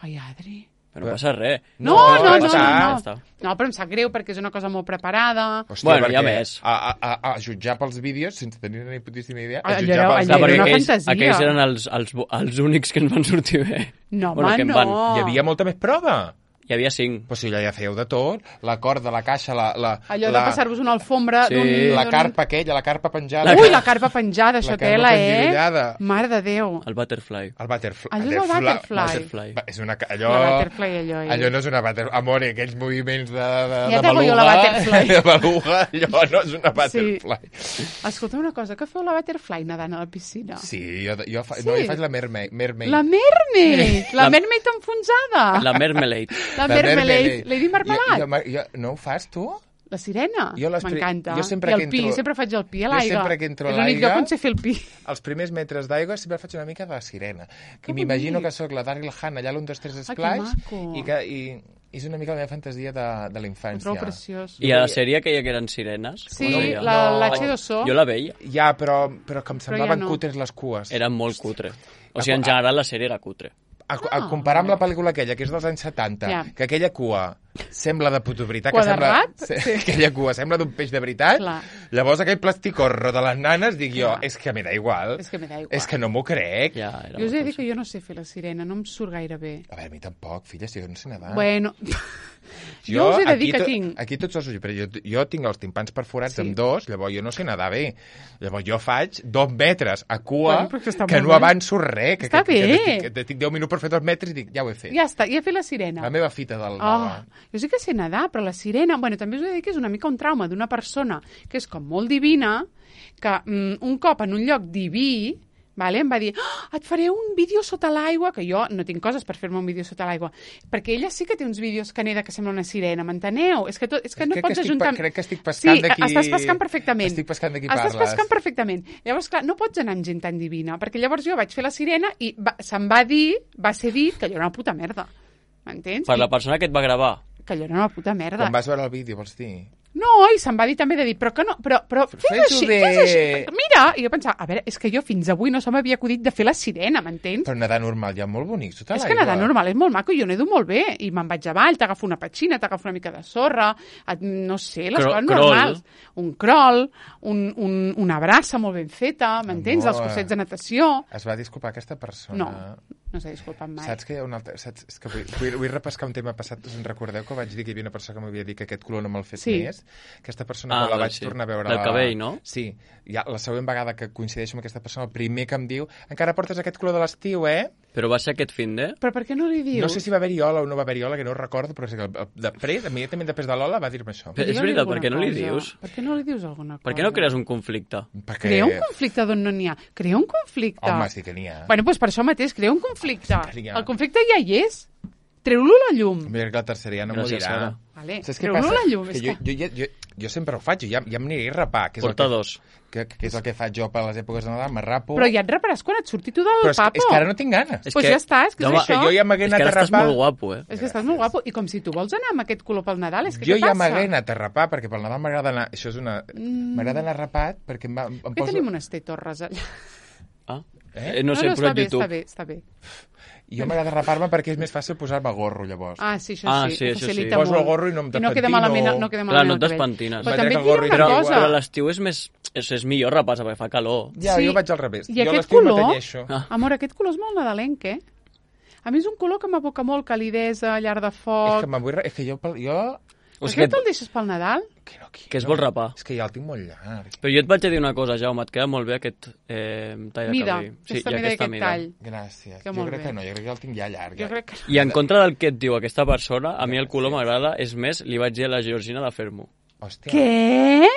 Ai, Adri... Però no passa res. No, No, no, no, ja no, està. no, Ja està. no. però em sap greu perquè és una cosa molt preparada. Hòstia, Bueno, hi ha perquè més. A, a, a, a jutjar pels vídeos, sense tenir ni putíssima idea, a Allò jutjar era- pels allò No, era perquè una aquells, fantasia. aquells eren els, els, els únics que ens van sortir bé. No, Bueno, home, que em no. van. Hi havia molta més prova. Hi havia cinc. Però si allà ja fèieu de tot, la corda, la caixa, la... la Allò la, de passar-vos una alfombra Sí. d'un... La d'un- carpa aquella, la carpa penjada. Ui, la carpa penjada, això La carpa tela, eh? penjollada. Mare de Déu. El butterfly. El butterfly. Allò és el butterfly. Butterfly. Va, és una... ca- Allò... La butterfly, allò, eh? Allò no és una butterfly. Amore, aquells moviments de, de, Ja de tengo beluga... jo la butterfly. De beluga, allò no és una butterfly. Escolta una cosa, què feu la butterfly nedant a la piscina? Sí, jo, jo, fa, Sí. no, jo faig la mermaid. mermaid. La mermaid! La La- mermaid enfonsada! La marmalade. La La mermelade. Lady Jo, Marmalade. jo, jo, no ho fas, tu? La sirena. Jo les pri- M'encanta. jo sempre I el que pi, entro- sempre faig el pi a jo l'aigua. sempre que entro a És l'únic l'aigua- lloc on sé fer el pi. Els primers metres d'aigua sempre faig una mica de sirena. Que I m'imagino bonic. que sóc la Daryl Hannah allà a l'un, dos, tres que Splash maco. i que i, i és una mica la meva fantasia de, de la Ho infància. trobo preciós. I a la sèrie aquella que eren sirenes? Sí, com es deia? la, No. la H dos O. Jo la veia. Ja, però, però que em semblaven ja no. cutres les cues. Era molt cutre. O sigui, en general la sèrie era cutre. A, a comparar amb la pel·lícula aquella, que és dels anys setanta, Ja. que aquella cua sembla de puto veritat, que sembla... Quadrat? Sí. Aquella cua sembla d'un peix de veritat. Clar. Llavors aquell plasticorro de les nanes, dic jo, és que me da igual. És que me da igual. És que no m'ho crec. Ja, era Jo us he de molt dir que jo no sé fer la sirena, no em surt gaire bé. A veure, a mi tampoc, filla, si jo no sé nedar. Bueno, jo us he de dir que to, tinc... Aquí tots els... Però jo, jo tinc els timpans perforats Sí. amb dos, llavors jo no sé nedar bé. Llavors jo faig dos metres a cua, Bueno, però que està que molt no bé. avanço res. Que, Està que, que, bé. que, que, tinc deu minuts per fer dos metres i dic, ja ho he fet. Ja està, ja he fet la sirena. La meva fita del... Oh, jo sí que sé nedar, però la sirena... Bueno, també us he de dir que és una mica un trauma d'una persona que és com molt divina, que mm, un cop en un lloc diví, vale, em va dir, oh, et faré un vídeo sota l'aigua, que jo no tinc coses per fer-me un vídeo sota l'aigua, perquè ella sí que té uns vídeos que neda que sembla una sirena, m'enteneu? És que, tot, és que no crec pots que estic, ajuntar... crec que estic pescant sí, de qui... estàs pescant perfectament. Estic pescant de qui estàs parles. pescant perfectament. Llavors, clar, no pots anar amb gent tan divina, perquè llavors jo vaig fer la sirena i va, se'm va dir, va ser dit que allò era una puta merda. M'entens? Per I la persona que et va gravar. que allò era una puta merda. Quan vas veure el vídeo, vols dir? No, i se'm va dir també de dir, però que no, però, però fes Fes-ho així, bé. fes així. Mira, i jo pensava, a veure, és que jo fins avui no se m'havia acudit de fer la sirena, m'entens? Però nedar normal ja molt bonic, sota És l'aigua. que nedar normal és molt maco, jo nedo molt bé, i me'n vaig avall, t'agafo una petxina, t'agafo una mica de sorra, et, no sé, les Cro- coses crol. normals. Un crol, un, un, una brassa molt ben feta, m'entens? Amor. Els cursets de natació. Es va disculpar aquesta persona. No, no s'ha disculpat mai. Saps que hi ha un altre... Saps? És que vull, vull, vull repescar un tema passat. Us en recordeu que vaig dir que hi havia una persona que m'havia dit que aquest color no me'l fet Sí. més? Aquesta persona, Ah, quan la vaig sí. tornar a veure... Del la... cabell, no? Sí. Ja, la següent vegada que coincideixo amb aquesta persona, el primer que em diu encara portes aquest color de l'estiu, eh? Però va ser aquest fin de... Però per què no li dius? No sé si va haver-hi ola o no va haver-hi ola, que no ho recordo, però és que el- el- després, immediatament després de l'ola, va dir-me això. Però és Digue-li veritat, alguna per què no li cosa. dius? Per què no li dius alguna cosa? Per què no crees un conflicte? Perquè... Crea un conflicte d'on no n'hi ha. Crea un conflicte. Home, sí que n'hi ha. Bueno, doncs per això mateix, crea un conflicte. que n'hi ha. El conflicte ja hi és. Treu-lo a la llum. Mira que la tercera ja no m'ho Gràcies, dirà. Sara. Vale. Saps què Treu-lo passa? a la llum. Que és jo, que... jo, jo, jo, jo sempre ho faig, jo ja, ja m'aniré a rapar. Que és Porta el que, dos. Que, que és el que faig jo per les èpoques de Nadal, me rapo. Però ja et reparàs quan et surti tu del Però és, que, papo. és que ara no tinc ganes. És Pues que- ja està, és que és Home, això. que jo ja m'hagué És que anat a ara estàs rapar. molt guapo, eh? És que estàs molt guapo. I com si tu vols anar amb aquest color pel Nadal, és que Jo què ja passa? m'hagué anat a rapar, perquè pel Nadal m'agrada anar... Això és una... Mm. M'agrada anar rapat, perquè em, va- em Per què poso... tenim unes tetorres allà? Ah? Eh? Eh? No sé, no, però està bé, YouTube. està bé, està bé. Jo m'agrada rapar-me perquè és més fàcil posar-me gorro, llavors. Ah, sí, això Ah, sí, sí, ho això sí. facilita Poso molt. el gorro i no em I no queda despentino. malament, no queda Clar, malament no el et cabell. despentines. Però Vaig també treure et el gorro diré i una Però, cosa. però a l'estiu és més... És, és millor rapar-se perquè fa calor. Ja, Sí. jo vaig al revés. I jo a aquest l'estiu color, m'atanyeixo. Ah. amor, aquest color és molt nadalenc, eh? A mi és un color que m'aboca molt calidesa, llar de És foc... que, vull... és que jo... pel- jo... O Per sigui què que, te'l deixes pel Nadal? Que, no, que, que es no. vol rapar. És que ja el tinc molt llarg. Però jo et vaig a dir una cosa, Jaume, et queda molt bé aquest eh, tall de Mida, cabell. aquesta i mida i aquest tall. Gràcies. Que jo molt crec bé. que no, jo crec que el tinc ja llarg. Jo Ja. crec que... I en contra del que et diu aquesta persona, a mi el color m'agrada, és més, li vaig dir a la Georgina de fer-m'ho. Hòstia. Què?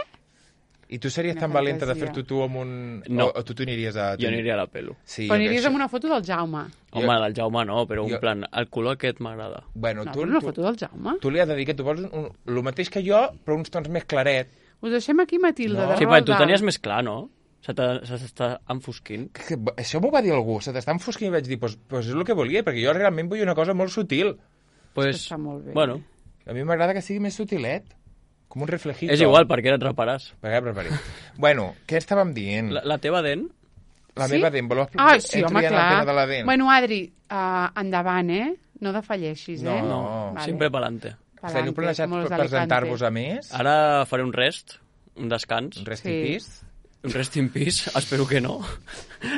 I tu series Una tan valenta de fantasia. fer-ho tu amb un... No. O, o tu t'ho aniries a... Jo aniria a la pelo. Sí, Però jo aniries crec amb que- una foto del Jaume. Home, Jo- del Jaume no, però jo- un plan, el color aquest m'agrada. Bueno, No, tu, però una tu, foto del Jaume. tu li has de dir que tu vols un, el mateix que jo, però uns tons més claret. Us deixem aquí, Matilda, No. de Sí, Roald perquè tu Dahl. tenies més clar, no? Se t'ha- se t'està enfosquint. Que, que, això m'ho va dir algú, se t'està enfosquint i vaig dir, pues, pues és el que volia, perquè jo realment vull una cosa molt sutil. Pues, Està molt bé. bueno, A mi m'agrada que sigui més sutilet, com un reflejito. és igual, perquè et reparàs. Per què preparit? Bueno, què estàvem dient? La, la teva dent, La Sí? meva dent, voleu Ah, sí, entro home, ja en el clar. tema de la dent? Bueno, Adri, uh, endavant, eh? No defalleixis, eh? No, no, sempre pelante. Teniu planejat como los per de Alicante. presentar-vos a més? Ara faré un rest, un descans, Un rest Sí. in peace? un rest in peace, espero que no.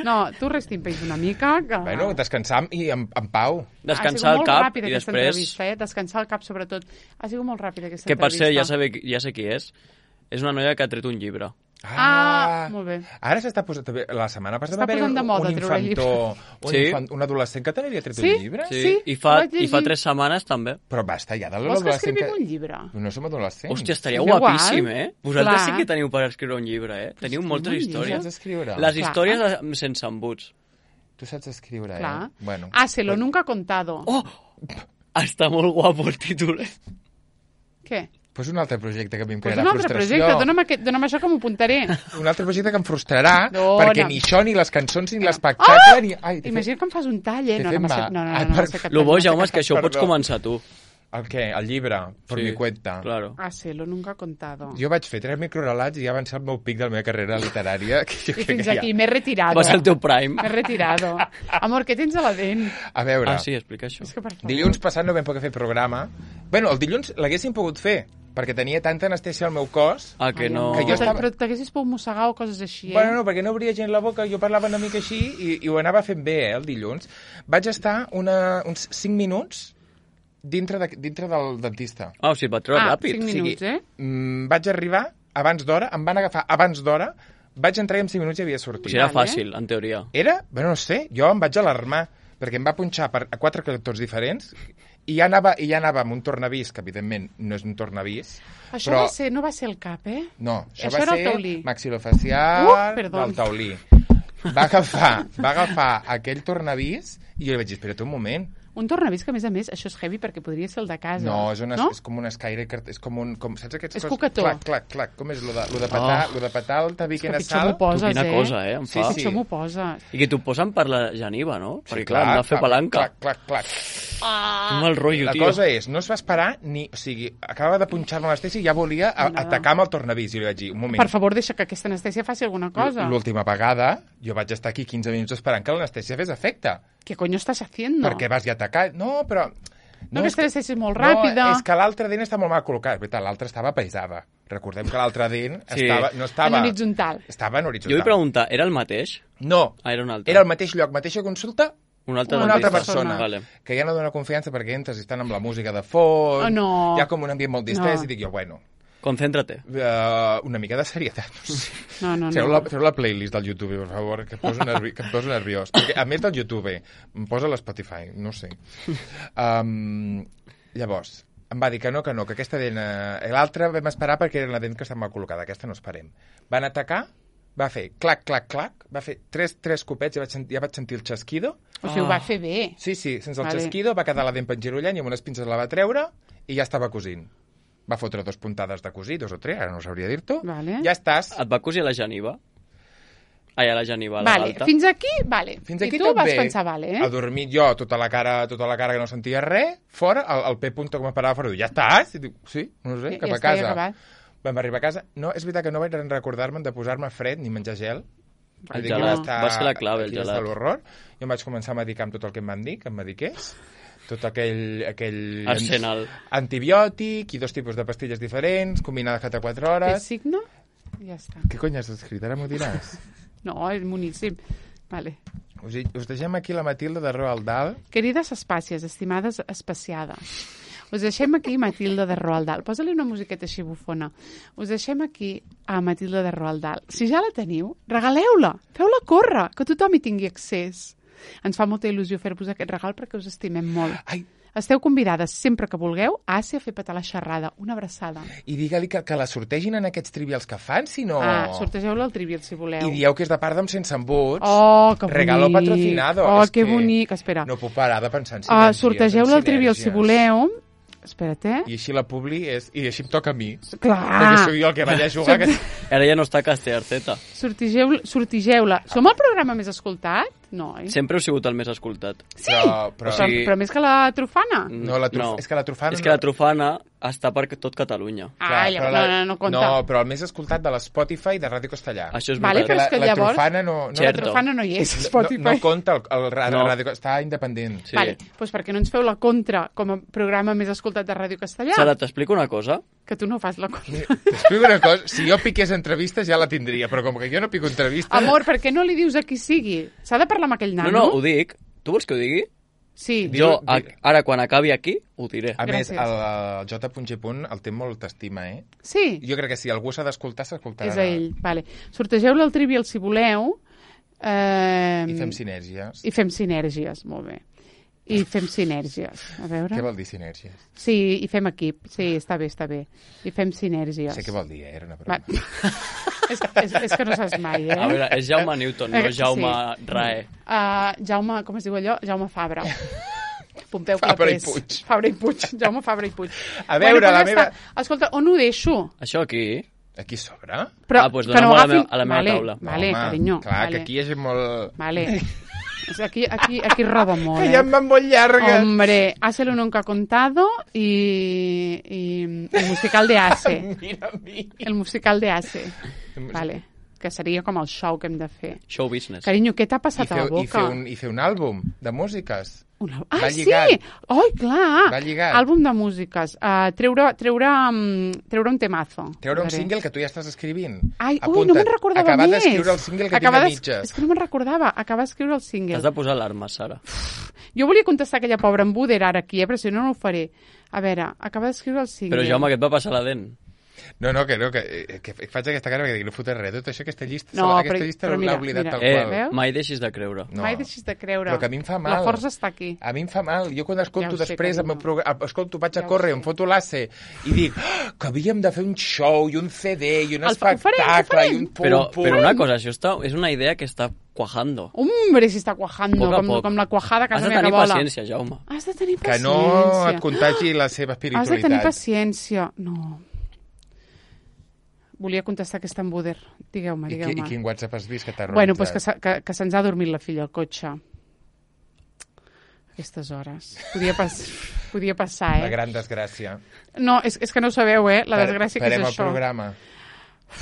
No, tu rest in peace una mica. Que... Bueno, descansar i en, en pau. Descansar ha el sigut molt cap ràpida i aquesta després... entrevista, eh? Descansar el cap, sobretot. Ha sigut molt ràpida aquesta Que per entrevista. ser, ja, sabe, ja sé qui és, és una noia que ha tret un llibre. Ah, molt bé. Ara s'està posant... també- La setmana passada Està va haver posant de un, moda un treure infantó, un, Sí. infant, un adolescent que també havia tret Sí? un llibre. Sí, Sí, i, ho fa, vaig i fa llegir. tres setmanes també. Però basta ja de Vols que l'adolescent escrivim un llibre? No som adolescents. Hòstia, estaria És igual. guapíssim, eh? Vosaltres Clar. sí que teniu per escriure un llibre, eh? Teniu escriu moltes un llibre. Tu històries. saps escriure? Les Clar. històries de- sense embuts. Tu saps escriure, Clar. eh? Bueno. Ah, se lo nunca contado. Oh! Està molt guapo el títol, eh? Què? Pues un altre projecte que a mi em Pues crearà un altre frustració. projecte. Dona'm, aquest, dona'm això que m'ho apuntaré. Un altre projecte que em frustrarà, Dona'm. perquè ni això, ni les cançons, ni l'espectacle, Ah! ni... Ai, t'he Imagina que em fas un tall, eh? t'he No, fet no, m'ha mal. set- no, no, Ai, no, no, per- sé què Lo tall, bo, no sé Jaume, què és que això ho pots Perdó. començar tu. El què? El llibre, per Sí, mi cuenta. Claro. Ah, sí, lo nunca he contado. Jo vaig fer tres microrelats i ja va ser el meu pic de la meva carrera literària. Que jo I crec fins que aquí, ja... m'he retirado. Va ser el teu prime. M'he retirado. Amor, què tens a la dent? A veure, Ah, sí, explica això. És que, per favor. dilluns passat no vam poder fer programa. Bueno, el dilluns l'haguéssim pogut fer, perquè tenia tanta anestèsia al meu cos. Ah, que Ai, no... amor, Que jo però estava- Però t'haguessis pogut mossegar o coses així, eh? Bueno, no, perquè no obria gent la boca, jo parlava una mica així i, i ho anava fent bé, eh, el dilluns. Vaig estar una, uns cinc minuts dintre, de, dintre del dentista. Ah, o sigui, et va treure Ah, ràpid. cinc minuts, eh? Mm, vaig arribar abans d'hora, em van agafar abans d'hora, vaig entrar i en cinc minuts ja havia O sortit. sigui, era Vale. fàcil, en teoria. Era, bueno, no sé, jo em vaig alarmar, perquè em va punxar per, a quatre cantons diferents i ja anava, i ja anava amb un tornavís, que evidentment no és un tornavís, Això però... va ser, no va ser el cap, eh? No, això, Això va era el ser taulí. maxilofacial Uh, perdó. del taulí. Va agafar, va agafar aquell tornavís i jo li vaig dir, espera't un moment. Un tornavís que, a més a més, això és heavy perquè podria ser el de casa. No, és, una, no? és com un escaire, que- és com un... Com, saps aquests És cos- cucató. Clac, clac, clac. Com és lo de, lo de petar, Oh. lo de petar el tabic És que en pitjor sal? m'ho poses, Tu, quina eh? cosa, eh, em Sí, fa. sí. Pitjor m'ho poses. I que t'ho posen per la geniva, no? Sí, Perquè, clar, hem de fer palanca. Clac, clac, clac. Quin mal rotllo, La tio. cosa és, no es va esperar ni... O sigui, acabava de punxar-me l'anestèsia i ja volia a, Nada. atacar amb el tornavís. I li vaig dir, un moment, Per favor, deixa que aquesta anestèsia faci alguna cosa. l'última vegada jo vaig estar aquí quinze minuts esperant que l'anestèsia fes efecte. ¿Qué coño estás haciendo? Perquè vas ja atacar... No, però... No, que és esta anestèsia és molt ràpida. No, és que l'altra dent està molt mal col·locat. És veritat, l'altra estava paisada. Recordem que l'altra dent Sí. estava, no estava... En horitzontal. Estava en Jo horitzontal. vull preguntar, era el mateix? No, Ah, era un altre. era al mateix lloc, mateixa consulta, Un altre una altra dentista. persona. Vale. Que ja no dona confiança perquè entres i estan amb la música de fons, Oh, no. hi ha com un ambient molt distès No. i dic jo, bueno, Concéntrate. uh, una mica de serietat. No sé. No, no, Feu no. la, feu la playlist del YouTube, per favor, que et poso, nervi que et poso nerviós. Perquè, a més del YouTube, em posa l'Spotify, no sé. Um, llavors, em va dir que no, que no, que aquesta dent... Eh, l'altra vam esperar perquè era la dent que estava mal col·locada, aquesta no esperem. Van atacar, va fer clac, clac, clac, va fer tres, tres copets, ja vaig, sentir, ja vaig sentir el xasquido. O sigui, ho va fer bé. Sí, sí, sense el Vale. xasquido, va quedar la dent penjirollant i amb unes pinces la va treure i ja estava cosint. Va fotre dos puntades de cosir, dos o tres, ara no sabria dir-t'ho. Vale. Ja estàs. Et va cosir a la geniva? Ai, a la geniva, a la Vale, galta. fins aquí, vale. Fins aquí I tu tot vas bé. pensar, vale, eh? Adormit jo, tota la cara, tota la cara que no sentia res, fora, el, el P. punto que m'esperava fora, diu, ja estàs? I dic, sí, no sé, Ja- cap ja a està, ja casa. acabat. Vam arribar a casa. No, és veritat que no vaig recordar-me de posar-me fred ni menjar gel. El Dic, gelat. aquí Va ser la clave, el aquí està gelat. l'horror. Jo em vaig començar a medicar amb tot el que em van dir, que em mediqués. Tot aquell... aquell Arsenal. Antibiòtic i dos tipus de pastilles diferents, combinades cada quatre Què hores. signo? Ja està. Què cony has escrit? Ara m'ho diràs. No, és boníssim. Vale. Us, hi- us deixem aquí la Matilda de Roald Dahl. Querides espàcies, estimades espaciades, us deixem aquí Matilda de Roald Dahl. Posa-li una musiqueta així bufona. Us deixem aquí a Matilda de Roald Dahl. Si ja la teniu, regaleu-la, feu-la córrer, que tothom hi tingui accés. Ens fa molta il·lusió fer-vos aquest regal perquè us estimem molt. Ai, Esteu convidades sempre que vulgueu a Àsia a fer petar la xerrada. Una abraçada. i digue-li que, que la sortegin en aquests trivials que fan, si no... Ah, sortegeu-la al trivial, si voleu. I dieu que és de part d'Am Sense Embuts. Oh, que bonic. Regalo patrocinado. Oh, És que que bonic. Espera. No puc parar de pensar en Uh, sinergies. sortegeu-la en al trivial, si sinergies. voleu. Espera't, eh? I així la publi és... I així em toca a mi. Clar. Perquè sóc jo el que vaig a jugar. Que... Ara ja no està Castellarceta. Sortigeu- Sortigeu-la. Som el programa més escoltat? No, eh? Sempre heu sigut el més escoltat. Sí, Però, però, però, sí. però més que la trufana. No, la truf... és que la trufana... És que la trufana està per tot Catalunya. Ah, Clar, ja, però no, la- no, no compta. No, però el més escoltat de l'Spotify de Ràdio Castellà. Això és Vale, veritat. però és que la, la llavors- trufana no... no, La Certo. trufana no hi és, a no, Spotify. no compta el, el, el No. Ràdio... Està independent. Sí. Vale, doncs per què no ens feu la contra com a programa més escoltat de Ràdio Castellà? Sara, t'explico una cosa? Que tu no fas la contra. T'explico una cosa. Si jo piqués entrevistes ja la tindria, però com que jo no pico entrevistes... Amor, per què no li dius a qui sigui? S'ha de parlar amb aquell No, nano? no, ho dic. Tu vols que ho digui? Sí. Di- Jo, di- a, ara, quan acabi aquí, ho diré. A més, Gràcies. el, el J. el té molt estima, eh? Sí, Jo crec que si algú s'ha d'escoltar, s'escoltarà. és a ell. Vale. Sortegeu-la al trivial si voleu. Eh, I fem sinergies. I fem sinergies, molt bé. I fem sinergies. A veure... Què vol dir sinergies? Sí, i fem equip. Sí, està bé, està bé. I fem sinergies. Sé què vol dir, eh? Era una Va. broma. és, és, és que no saps mai, eh? A veure, és Jaume Newton, Eh, no Jaume sí. Rae. Uh, Jaume, com es diu allò? Jaume Fabra. Pompeu Fabra i Clapés. Puig. Fabra i Puig. Jaume Fabra i Puig. A veure, doncs la ja meva- està. Escolta, on ho deixo? Això aquí... Aquí sobre? Però, Ah, doncs que dona-m'ho a la agafin- meva- a la meva vale, taula. Vale, Home, carinyo. clar, vale. que aquí és molt... Vale. O sea, aquí, aquí, aquí roba molt, Que eh? ja em van molt llargues. Hombre, Hace lo nunca contado y, y el musical de Ace. Mira a mi. El musical de Ace. Vale. Que seria com el show que hem de fer. Show business. Carinyo, què t'ha I passat a fer, la i, fer boca? un, I fer un àlbum de músiques. Una... Ah, Va sí! lligat. Oi, clar! Va lligat. Àlbum de músiques. Uh, treure, treure, um, treure un temazo. Treure un Faré. single que tu ja estàs escrivint. Ai, ui, no me'n recordava acabar més. d'escriure el single que Acabar tinc a d'es- mitges. És que no me'n recordava. Acabar d'escriure el single. Has de posar alarmes, Sara. Jo volia contestar aquella pobra embuder ara aquí, eh, però si no, no ho faré. A veure, acabar d'escriure el single. Però, Jaume, què et va passar a la dent? No, no, que no, que, que faig aquesta cara perquè dic, no fotré res. Tot això, aquesta llista, No, aquesta però- llista però l'ha mira, oblidat mira. tal Eh, qual. Veus? mai deixis de creure. No. Mai deixis de creure. Però que a mi em fa mal. La força està aquí. A mi em fa mal. Jo quan escolto Ja ho sé, després, el meu carinyo. programa, escolto, vaig a Ja ho córrer, sé. em foto l'asse i dic oh, que havíem de fer un show i un C D i un El fa- ho farem, ho espectacle farem. i un pum, Però, pum. però una cosa, això està, és una idea que està cuajando. Hombre, si està cuajando, Poc a com, poc. com la cuajada que Has no de n'hi ha tenir que vola. paciència, Jaume. Has de tenir Que paciència. no et contagi la seva Has de espiritualitat. tenir paciència. No. Volia contestar aquesta embuder. Digueu-me, I, qui- digueu-me. I quin WhatsApp has vist que t'ha Bueno, pues que, realitzat? se- que, que se'ns ha dormit la filla al cotxe. Aquestes hores. Podia, pas, podia passar, La eh? gran desgràcia. No, és, és que no ho sabeu, eh? La Pare- desgràcia que és parem el això. programa.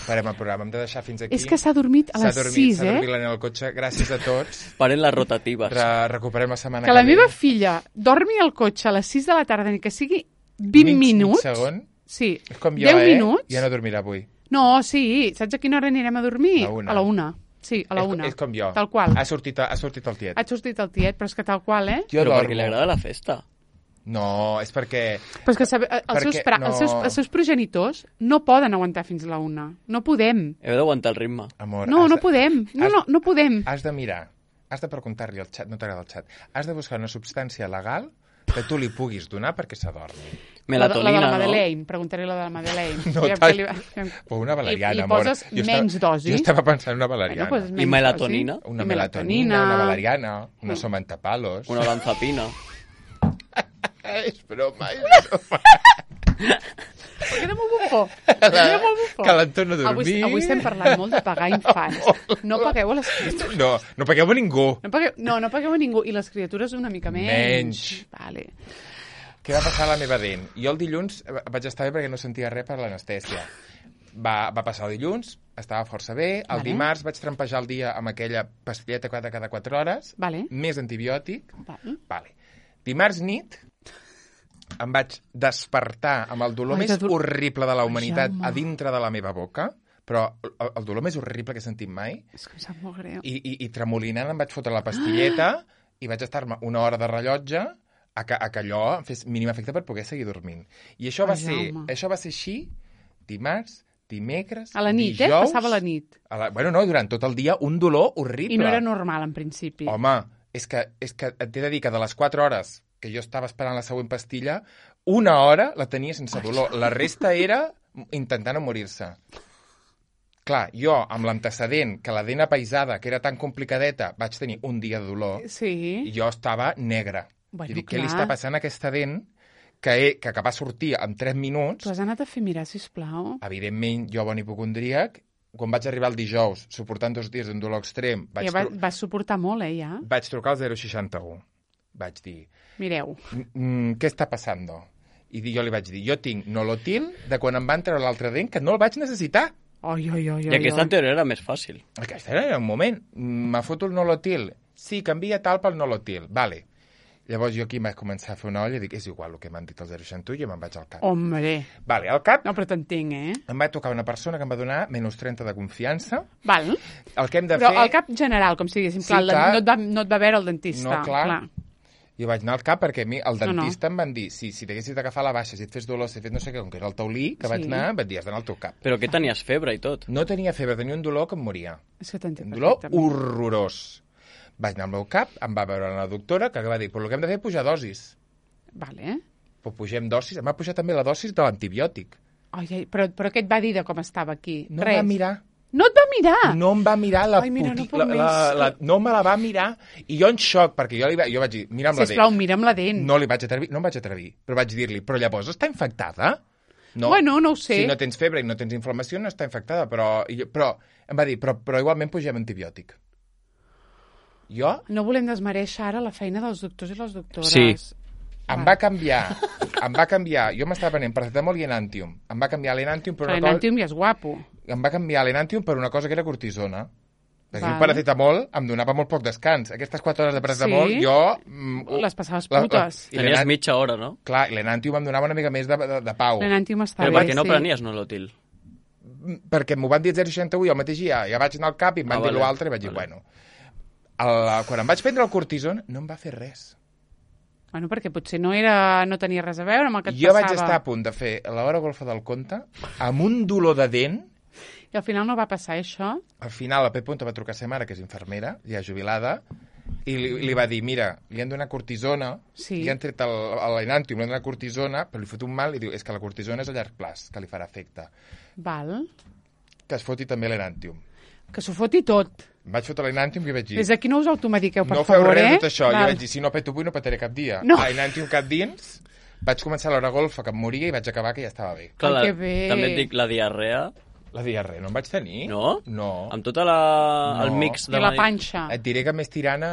Parem el programa. Hem de deixar fins aquí. És que s'ha dormit a S'ha les dormit, sis, S'ha eh? dormit la nena al cotxe. Gràcies a tots. Paren les rotatives. Re recuperem la setmana Que la ve. meva filla dormi al cotxe a les sis de la tarda, ni que sigui vint Mig- minuts. Mig segon. Sí, És com jo, deu eh? minuts. Ja no dormirà avui. No, sí. Saps a quina hora anirem a dormir? A una. A la una. Sí, a la és, una. és com jo. Tal qual. Ha sortit, ha sortit el tiet. Ha sortit el tiet, però és que tal qual, eh? Jo Però dormo. perquè li agrada la festa. No, és perquè... Però és que sabe, els, Perquè seus, pra, no- els, seus, els seus progenitors no poden aguantar fins la una. No podem. Heu d'aguantar el ritme. Amor, No, has no de- podem. No, has- no, no podem. Has de mirar, has de preguntar-li al xat, no t'agrada el xat, has de buscar una substància legal que tu li puguis donar perquè s'adormi. La, de- la Melatonina, de la no? Madeleine. Preguntaré la de la Madeleine. No, Aviam tant. què li va- aviam- O una valeriana, I, i amor. poses Jo menys estava, dosi. Jo estava pensant en una valeriana. Bueno, pues I menys melatonina? dosi. una I melatonina, una valeriana, una somentapalos. Una lanzapina. És broma, és broma. Per què de molt bufó? Per què de molt bufó? Que l'entorn a dormir. Avui, avui estem parlant molt de pagar infants. No pagueu a les criatures. No, no pagueu a ningú. No pagueu, no, no pagueu a ningú. I les criatures una mica menys. Menys. Vale. Què va passar a la meva dent? Jo el dilluns vaig estar bé perquè no sentia res per l'anestèsia. Va, va passar el dilluns, estava força bé. El Vale. dimarts vaig trampejar el dia amb aquella pastilleta cada, cada quatre hores, Vale. més antibiòtic. Vale. Vale. Dimarts nit em vaig despertar amb el dolor Ai, més de do- horrible de la humanitat Jaume. a dintre de la meva boca, però el, el dolor més horrible que he sentit mai, És que em sap molt greu. i, i, i tremolinant em vaig fotre la pastilleta i vaig estar-me una hora de rellotge a que, a que allò em fes mínim efecte per poder seguir dormint. I això va, Ai, ser, Jaume. això va ser així dimarts, dimecres, A la nit, dijous... eh? Passava la nit. A la, bueno, no, durant tot el dia un dolor horrible. I no era normal, en principi. Home, és que, és que et he de dir que de les quatre hores que jo estava esperant la següent pastilla, una hora la tenia sense dolor. La resta era intentant no morir-se. Clar, jo, amb l'antecedent que la dent apaisada, que era tan complicadeta, vaig tenir un dia de dolor, Sí. i jo estava negre. Bueno, I dic, què li clar. està passant a aquesta dent que, he, que, que va sortir en tres minuts? Tu has anat a fer mirar, sisplau? Evidentment, jo, bon hipocondríac, quan vaig arribar el dijous, suportant dos dies d'un dolor extrem, vaig, Ja va, tru vas suportar molt, eh, ja? vaig trucar al zero seixanta u. Vaig dir, Mireu. mm, què està passant? I jo li vaig dir, jo tinc nolotil de quan em van treure l'altre dent, que no el vaig necessitar. Oi, oi, oi, I oi. aquesta oi. en teoria era més fàcil. Aquest era un moment. Me foto el nolotil. Sí, canvia tal pel nolotil. Vale. Llavors jo aquí vaig començar a fer una olla i dic, és igual el que m'han dit el zero seixanta u i jo me'n vaig al cap. Hombre. Vale, al cap No, però t'entenc, eh? em va tocar una persona que em va donar menys trenta de confiança. Val. El que hem de Però fer... al cap general, com si diguéssim, Sí, clar, clar. no, et va, no et va veure el dentista. No, clar. Jo vaig anar al cap perquè a mi el No, no. dentista em van dir, si, si t'haguessis d'agafar la baixa, si et fes dolor, si et fes no sé què, com que era el taulí que Sí. vaig anar, em van dir, has d'anar al teu cap. Però que tenies febre i tot. No tenia febre, tenia un dolor que em moria. És que t'entenc Un dolor perfectament. horrorós. Vaig anar al meu cap, em va veure la doctora, que va dir, però el que hem de fer és pujar dosis. Vale. Però pugem dosis, em va pujar també la dosis de l'antibiòtic. Ai, ai, però, però què et va dir de com estava aquí? No em Res. va mirar. No et va mirar? No em va mirar la, Ai, mira, no puti- puc la, més. la, la, no me la va mirar i jo en xoc, perquè jo, li va, jo vaig dir, mira'm la Sisplau, dent. mira'm la dent. No li vaig atrevir, no em vaig atrevir, però vaig dir-li, però llavors està infectada? No. Bueno, no ho sé. Si no tens febre i no tens inflamació, no està infectada, però, i jo, però em va dir, però, però igualment pugem antibiòtic. Jo... No volem desmereixer ara la feina dels doctors i les doctores. Sí. Em va canviar, em va canviar, jo m'estava prenent paracetamol i Enantium. Em va canviar l'Enantium per una cosa... L'Enantium ja és guapo. Em va canviar l'Enantium per una cosa que era cortisona. Perquè Val. el paracetamol em donava molt poc descans. Aquestes quatre hores de paracetamol, Sí? jo... Mm, Les passaves la- la- putes. i Tenies l'Enant- mitja hora, no? Clar, l'Enantium em donava una mica més de, de, de pau. L'Enantium està Però bé, per què no sí. prenies Nolotil? Perquè m'ho van dir zero coma seixanta u i al mateix dia ja vaig anar al cap i em van Ah, dir vale. l'altre i vaig dir, Vale. bueno... El, quan em vaig prendre el cortison no em va fer res. Bueno, perquè potser no era no tenia res a veure amb el que et Jo passava. vaig estar a punt de fer l'hora golfa del conte amb un dolor de dent. I al final no va passar això. Al final la Pep Punta va trucar a sa mare, que és infermera, ja jubilada, i li, li va dir, mira, li han donat cortisona, Sí. li han tret el- l'Enantium, li han donat cortisona, però li fot un mal i diu, és que la cortisona és a llarg plaç, que li farà efecte. Val. Que es foti també l'Enantium. Que s'ho foti tot. Em vaig fotre l'Enantium i vaig dir... Des d'aquí no us automediqueu, per no feu favor, res eh? de tot això. Val. Jo vaig dir, si no peto avui no petaré cap dia. No. L'Enantium cap dins, vaig començar l'hora golfa que em moria i vaig acabar que ja estava bé. Clar, Ai, la, que bé. també et dic, la diarrea, La diarrea no em vaig tenir. no? No. Amb tota la... No. el mix I de... la panxa. Et diré que més tirant a...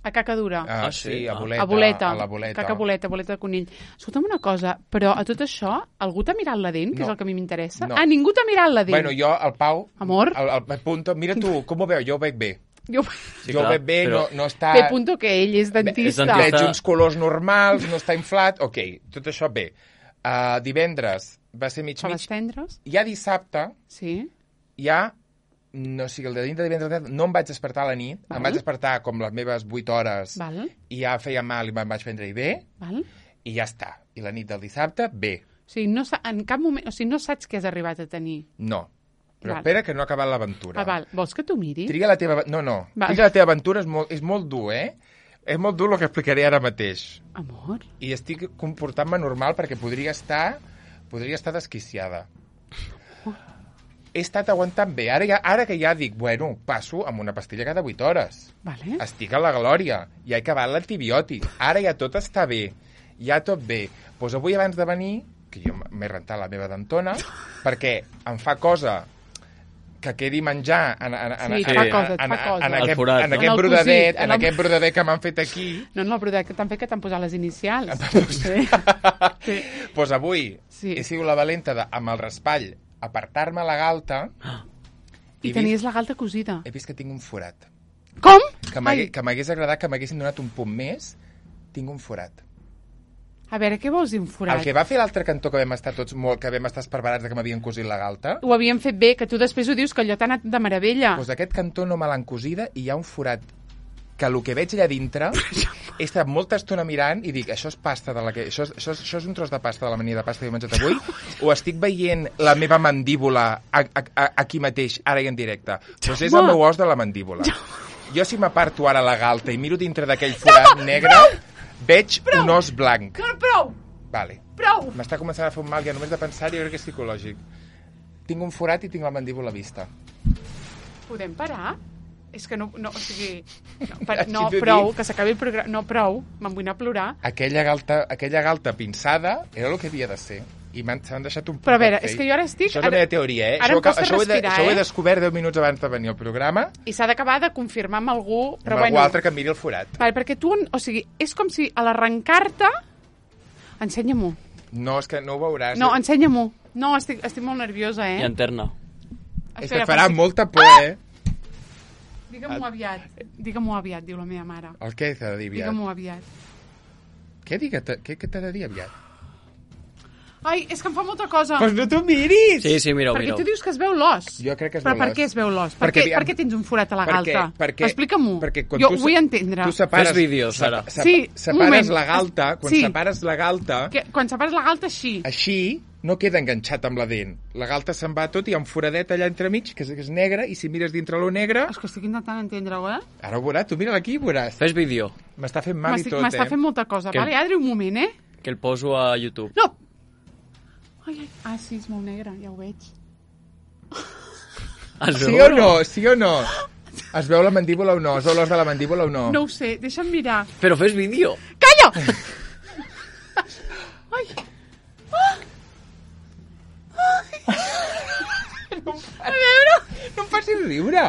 A caca dura. a Ah, sí, sí? a Ah. boleta. A boleta. A la boleta. Caca boleta, boleta de conill. Escolta'm una cosa, però a tot això, algú t'ha mirat la dent, que No. és el que a mi m'interessa? No. Ah, ningú t'ha mirat la dent? Bueno, jo, el Pau... Amor? El, el Pep Punto, mira tu, com ho veu? Jo ho veig bé. Jo... Sí, jo ho clar, veig bé, però- no, no està... P. Punto, que ell és dentista. És dentista. Veig uns colors normals, no està inflat, ok, tot això bé. Uh, divendres va ser mig Per mig. les tendres? Ja dissabte, Sí. ja, no o sigui, el de dintre de divendres no em vaig despertar a la nit, Val. em vaig despertar com les meves vuit hores Val, i ja feia mal i me'n vaig prendre-hi bé, val. i ja està. I la nit del dissabte, bé. O sigui, no, sa- en cap moment... O sigui, no saps què has arribat a tenir. No. Però Val. espera que no ha acabat l'aventura. Ah, val. Vols que t'ho miri? Triga la teva... No, no. Val. Triga la teva aventura és molt, és molt dur, eh? És molt dur el que explicaré ara mateix. Amor? I estic comportant-me normal perquè podria estar... Podria estar desquiciada. He estat aguantant bé. Ara, ja, ara que ja dic, bueno, passo amb una pastilla cada vuit hores. Vale. Estic a la glòria. Ja he acabat l'antibiòtic. Ara ja tot està bé. Ja tot bé. Doncs avui abans de venir, que jo m'he rentat la meva dentona, perquè em fa cosa que quedi menjar en, en, en, Sí, et fa cosa, et en, fa cosa. en, El aquest, forat, en no? aquest En el brodadet, cosit, en en el- aquest brodadet que m'han fet aquí. No, no, però que també que t'han posat les inicials. Sí. Sí. Doncs avui Sí. he sigut la valenta de, amb el raspall, apartar-me la galta I he tenies vist, la galta cosida. he vist que tinc un forat. Com? Que m'hagués Ai, que m'hagués agradat que m'haguessin donat un punt més. Tinc un forat. a veure, què vols dir un forat? El que va fer l'altre cantó que vam estar tots molt, que vam estar esparverats de que m'havien cosit la galta, Ho havien fet bé, que tu després ho dius, que allò t'ha anat de meravella. doncs aquest cantó no me l'han cosida i hi ha un forat que el que veig allà dintre he estat molta estona mirant i dic, això és pasta de la que... Això és, això és, això és un tros de pasta de la mania de pasta que he menjat avui o estic veient la meva mandíbula a, a, a, aquí mateix, ara i en directe. Doncs és el meu os de la mandíbula. Jo si m'aparto ara la galta i miro dintre d'aquell forat negre, veig un os blanc. No, prou! Vale. Prou! M'està començant a fer un mal, ja només de pensar, jo crec que és psicològic. Tinc un forat i tinc la mandíbula vista. Podem parar? És que no, no o sigui... No, per, Així no t'ho prou, dic. que s'acabi el programa. No, prou, me'n vull anar a plorar. Aquella galta, aquella galta pinçada era el que havia de ser. I m'han s'han deixat un punt Però a veure, per fer. és que jo ara estic... Això és la meva teoria, eh? Ara això, em costa això, ho he de, respirar, això ho he eh? descobert deu minuts abans de venir al programa, I s'ha d'acabar de confirmar amb algú, però amb bueno... algú altre que em miri el forat. Vale, perquè tu, o sigui, és com si a l'arrencar-te... Ensenya-m'ho. No, és que no ho veuràs. No, ensenya-m'ho. No, estic, estic molt nerviosa, eh? I interna. és que et farà molta por, Ah! eh? Digue-m'ho aviat. Digue-m'ho aviat, diu la meva mare. El què t'ha de dir aviat? Digue-m'ho aviat. Què, digue, què, què t'ha de dir aviat? Ai, és que em fa molta cosa. Doncs no t'ho miris! Sí, sí, mira-ho, Perquè mira-ho. tu dius que es veu l'os. Jo crec que es Però veu per l'os. què es veu l'os? Per, Perquè, què, per què tens un forat a la perquè- galta? perquè- Explica-m'ho. perquè quan Jo tu ho se- vull entendre. Tu separes, Fes vídeos, sep- ara. sep- Sí, un separes moment. la galta, quan Sí. separes la galta, Que, quan separes la galta, així. així no queda enganxat amb la dent. La galta se'n va tot i hi ha un foradet allà entremig, que és, que és negre, i si mires dintre lo negre... És que estic intentant entendre-ho, eh? Ara ho veuràs, tu mira aquí i veuràs. Fes vídeo, M'està fent mal i M'estic- tot, M'està eh? fent molta cosa. Que- Vale, Adri, un moment, eh? que el poso a YouTube. No! Ai, ai. Ah, sí, és molt negre, ja ho veig. Es Sí veu o no? Sí o no? Es veu la mandíbula o no? Es veu l'os de la mandíbula o no? No ho sé, deixa'm mirar. Però fes vídeo. Calla! Ai! No em facis riure!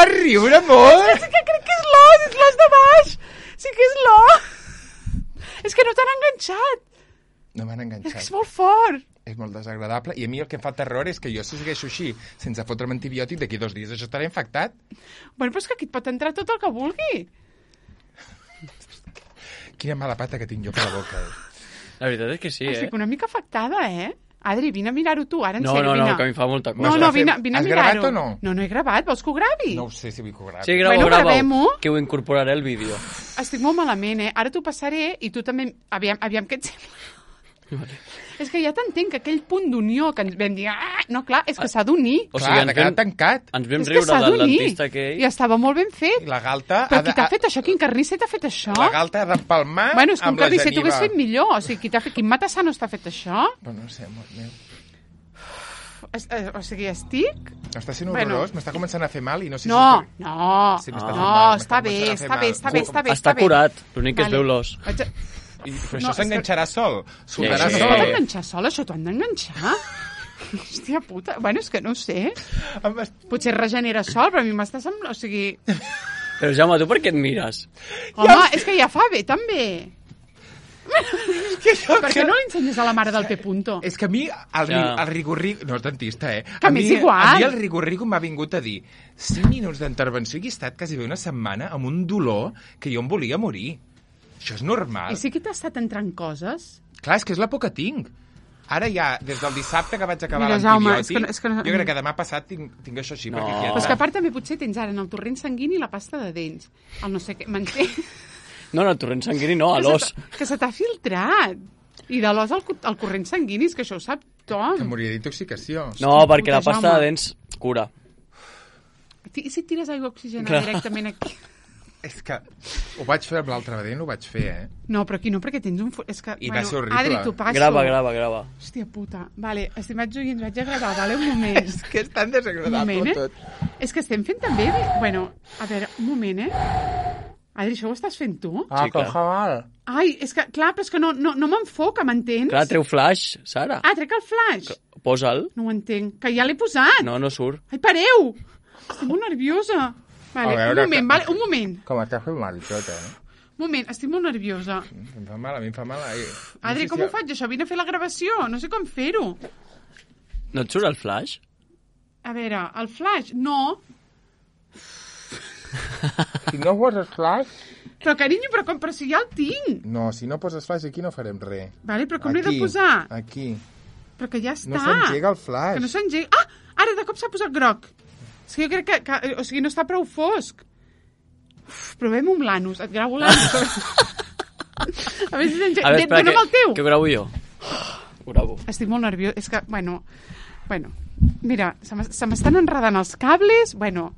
vas riure molt? És que crec que és l'os, és l'os de baix. Sí que és l'os. És que no t'han enganxat. No m'han És enganxat. que és molt fort. És molt desagradable. I a mi el que em fa terror és que jo si segueixo així, sense fotre'm antibiòtic, d'aquí dos dies això estarà infectat. Bueno, però és que aquí et pot entrar tot el que vulgui. Quina mala pata que tinc jo per la boca. Eh? La veritat és que sí, eh? Estic una mica afectada, eh? Adri, vine a mirar-ho tu, ara en No, sèrio, no, no, vine. que a mi fa molta cosa. No, M'ho no, estàs vine, fent- vine a Has mirar-ho. gravat o no? No, no he gravat, vols que ho gravi? No ho sé si vull que ho gravi. Sí, grava-ho, Bueno, grava-ho, gravem-ho. que ho incorporaré al vídeo. Estic molt malament, eh? Ara t'ho passaré i tu també... Aviam, aviam què et sembla. És que ja t'entenc que aquell punt d'unió que ens vam dir... Ah! No, clar, és que s'ha d'unir. O Clar, sigui, ha ens de quedar vam, tancat. ens vam És que riure s'ha del d'unir. dentista aquell. I estava molt ben I fet. la galta... Però ha qui de- t'ha fet això? Quin carnisser t'ha fet això? La galta ha d'empalmar Bueno, és que un amb la carnisser t'ho hagués geniva. fet millor. O sigui, qui t'ha fet... Quin matassano t'ha fet això? Però no sé, amor meu. Es- eh, O sigui, estic... Està sent Bueno. horrorós, m'està començant a fer mal i no sé No, si... no, Sí, m'està no, fent mal, està m'està bé, començant a fer està bé, mal. està bé, està bé. Està bé. curat, l'únic que es Vale. veu l'os. Vaig a- I, però No, això és que- s'enganxarà sol. Soltarà Sí, Això sí. t'ho han sol. d'enganxar sol, això t'ho han d'enganxar? Hòstia puta, bueno, és que no ho sé. Em est- Potser es regenera sol, però a mi m'està semblant... O sigui, Però Jaume, tu per què et mires? home, és que ja fa bé, també. Que jo- Per què no li ensenyes a la mare del P. Punto? És que a mi el, Ja. ja. el rigorrigo... No és dentista, eh? Que a m'és mi, igual. A mi el rigorrigo m'ha vingut a dir cinc minuts d'intervenció i he estat quasi bé una setmana amb un dolor que jo em volia morir. Això és normal. I sí que t'ha estat entrant coses? Clar, és que és la por que tinc. Ara ja, des del dissabte que vaig acabar Mira, Jaume, l'antibiòtic, és que no- és que no- jo crec que demà passat tinc, tinc això així, No. perquè aquí Però és que a part també potser tens ara en el torrent sanguini la pasta de dents. El no sé què, m'entens? No, no, el torrent sanguini no, a Que se l'os. t'ha- Que se t'ha filtrat. I de l'os al, cu- al corrent sanguini, és que això ho sap que Tom. moriria d'intoxicació. No, Hòstia perquè la puta, pasta Jaume. de dents cura. I si et tires aigua oxigenada Clar. directament aquí? És que ho vaig fer amb l'altre vedent, ho vaig fer, eh? No, però aquí no, perquè tens un... fu- És que, I va ser horrible. Adri, t'ho passo. Grava, grava, grava. Hòstia puta. Vale, estimats oients, vaig a gravar, vale? Un moment. És que és tan Un desagradable moment, eh? tot. És que estem fent també... Bueno, a veure, un moment, eh? Adri, això ho estàs fent tu? Ah, Sí, que clar. fa mal. Ai, és que, clar, però és que no, no, no m'enfoca, m'entens? Clar, treu flash, Sara. Ah, trec el flash. Posa'l. No ho entenc. Que ja l'he posat. No, no surt. Ai, pareu! Estic molt nerviosa. Vale, A veure, un moment, que- vale, un moment. Com està fent mal i tot, eh? Un moment, estic molt nerviosa. Em fa mal, a mi em fa mal. Ai, Adri, no sé com si- ho faig, això? Vine a fer la gravació. No sé com fer-ho. No et surt el flash? A veure, el flash, no. Si no poses flash... Però, carinyo, però, com, però si ja el tinc. No, si no poses flash aquí no farem res. Vale, però com l'he de Aquí, posar? Aquí. Però que ja està. No s'engega el flash. Que no s'engega. Ah, ara de cop s'ha posat groc. És que jo crec que, que... O sigui, no està prou fosc. Uf, provem un l'anus. Et gravo l'anus. A veure si s'engega. A veure, espera, Dóna'm el teu. que ho gravo jo. Ho gravo. Estic molt nerviós. És que, bueno... Bueno, mira, se m'es- se m'estan enredant els cables. Bueno...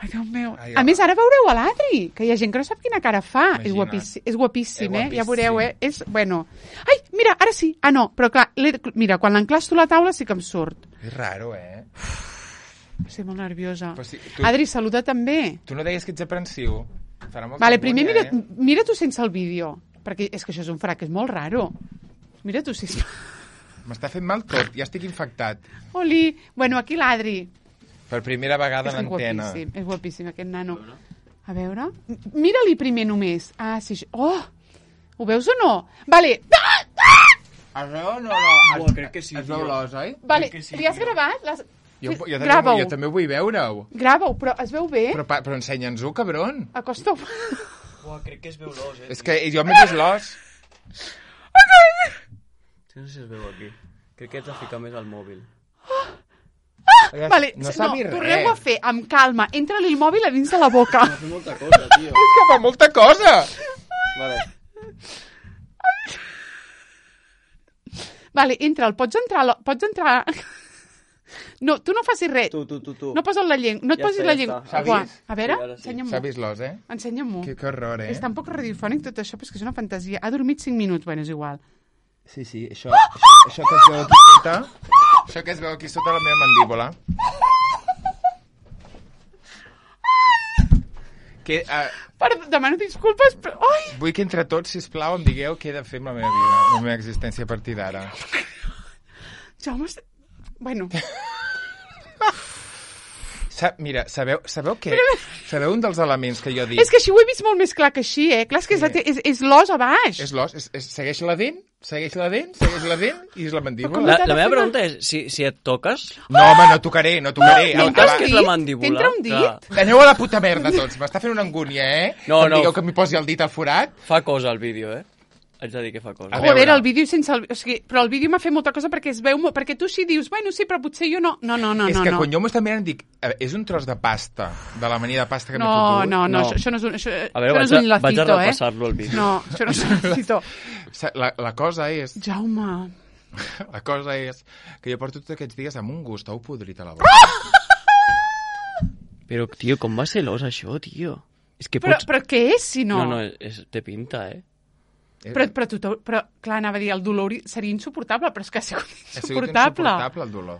Ai, Déu meu. Ai, A ai. més, ara veureu a l'Adri, que hi ha gent que no sap quina cara fa. És Imagina't. guapíssim, és guapíssim, És eh? Ja veureu, eh? guapíssim. És, bueno... Ai, mira, ara sí. Ah, no, però clar, l'he- mira, quan l'enclasto a la taula sí que em surt. És raro, eh? Estic molt nerviosa. Però si tu- Adri, saluda també. Tu no deies que ets aprensiu. Farà molta Vale, primer mira, vergonya, eh? mira tu sense el vídeo, perquè és que això és un frac, és molt raro. Mira tu, sisplau. M'està fent mal tot, ja estic infectat. Oli, bueno, aquí l'Adri. Per primera vegada És a l'antena. guapíssim, és guapíssim aquest nano. A veure, M- mira-li primer només. Ah, sí, això- oh, ho veus o no? Vale, ah! Es veu o no? no? Uah, crec que sí, Es veu tio. l'os, oi? Vale, que sí, li has tio. gravat? L'has- Jo, jo, també, Grava-ho. jo també vull veure-ho. Grava-ho, però es veu bé? Però, pa- però ensenya'ns-ho, cabron. Acosta-ho. Uah, crec que es veu l'os, eh? És que jo m'he vist l'os. No sé si es veu aquí. Crec que ets a ficar més al mòbil. Vale, no no, s'ha vist torneu a res. fer amb calma. Entra-li el mòbil a dins de la boca. Fa molta cosa, tio. És que fa molta cosa. Vale. Vale, entra, el pots entrar... lo- Pots entrar... No, tu no facis res. Tu, tu, tu, tu. No posa't la llengua. No et Ja posis està, la ja llengua. està. S'ha Uah, vist? a veure, Sí, ara sí. ensenya-m'ho. S'ha vist l'os, eh? Ensenya-m'ho. Que, que horror, eh? És tan poc radiofònic tot això, però és que és una fantasia. Ha dormit cinc minuts, bueno, és igual. Sí, sí, això, això, això que es veu aquí sota... Això que es veu aquí sota la meva mandíbula. Que, uh, Perdó, demano disculpes, però... Ai! vull que entre tots, sisplau, em digueu què he de fer amb la meva vida, amb la meva existència a partir d'ara. Jaume... est- Bueno, Sa mira, sabeu, sabeu què? Sabeu un dels elements que jo dic? És que així ho he vist molt més clar que així, eh? Clar, és que és, la te és, és l'os a baix. És l'os, és, és, segueix la dent, segueix la dent, segueix la dent i és la mandíbula. La, la meva pregunta és, si, si et toques... No, home, no tocaré, no tocaré. No, El- t'entra abans- un que és dit? la mandíbula. T'entra un dit? Clar. Aneu a la puta merda tots, m'està fent una angúnia, eh? No, que em no. digueu que m'hi posi el dit al forat. Fa cosa el vídeo, eh? Haig de dir que fa cosa. A Joder, veure. el vídeo sense el... O sigui, però el vídeo m'ha fet molta cosa perquè es veu... molt- Perquè tu sí dius, bueno, sí, però potser jo no. No, no, no, és no. que no. quan jo m'ho està mirant dic, a veure, és un tros de pasta, de la mania de pasta que m'he No, fotut. no, no, No. això, això no és un, això, A veure, això no és vaig a- un lacito, vaig a eh? repassar-lo, el vídeo. No, això no és un lacito. Sa- La, la cosa és, Jaume... la cosa és que jo porto tots aquests dies amb un gust au podrit a la boca. Però, tio, com va ser l'os, això, tio? És que Però, pots... però què és, si no? No, no, és, té pinta, eh? Però, però, tu, t'hau- però, clar, anava a dir, el dolor hi- seria insuportable, però és que ha sigut Ha sigut insuportable. insuportable el dolor.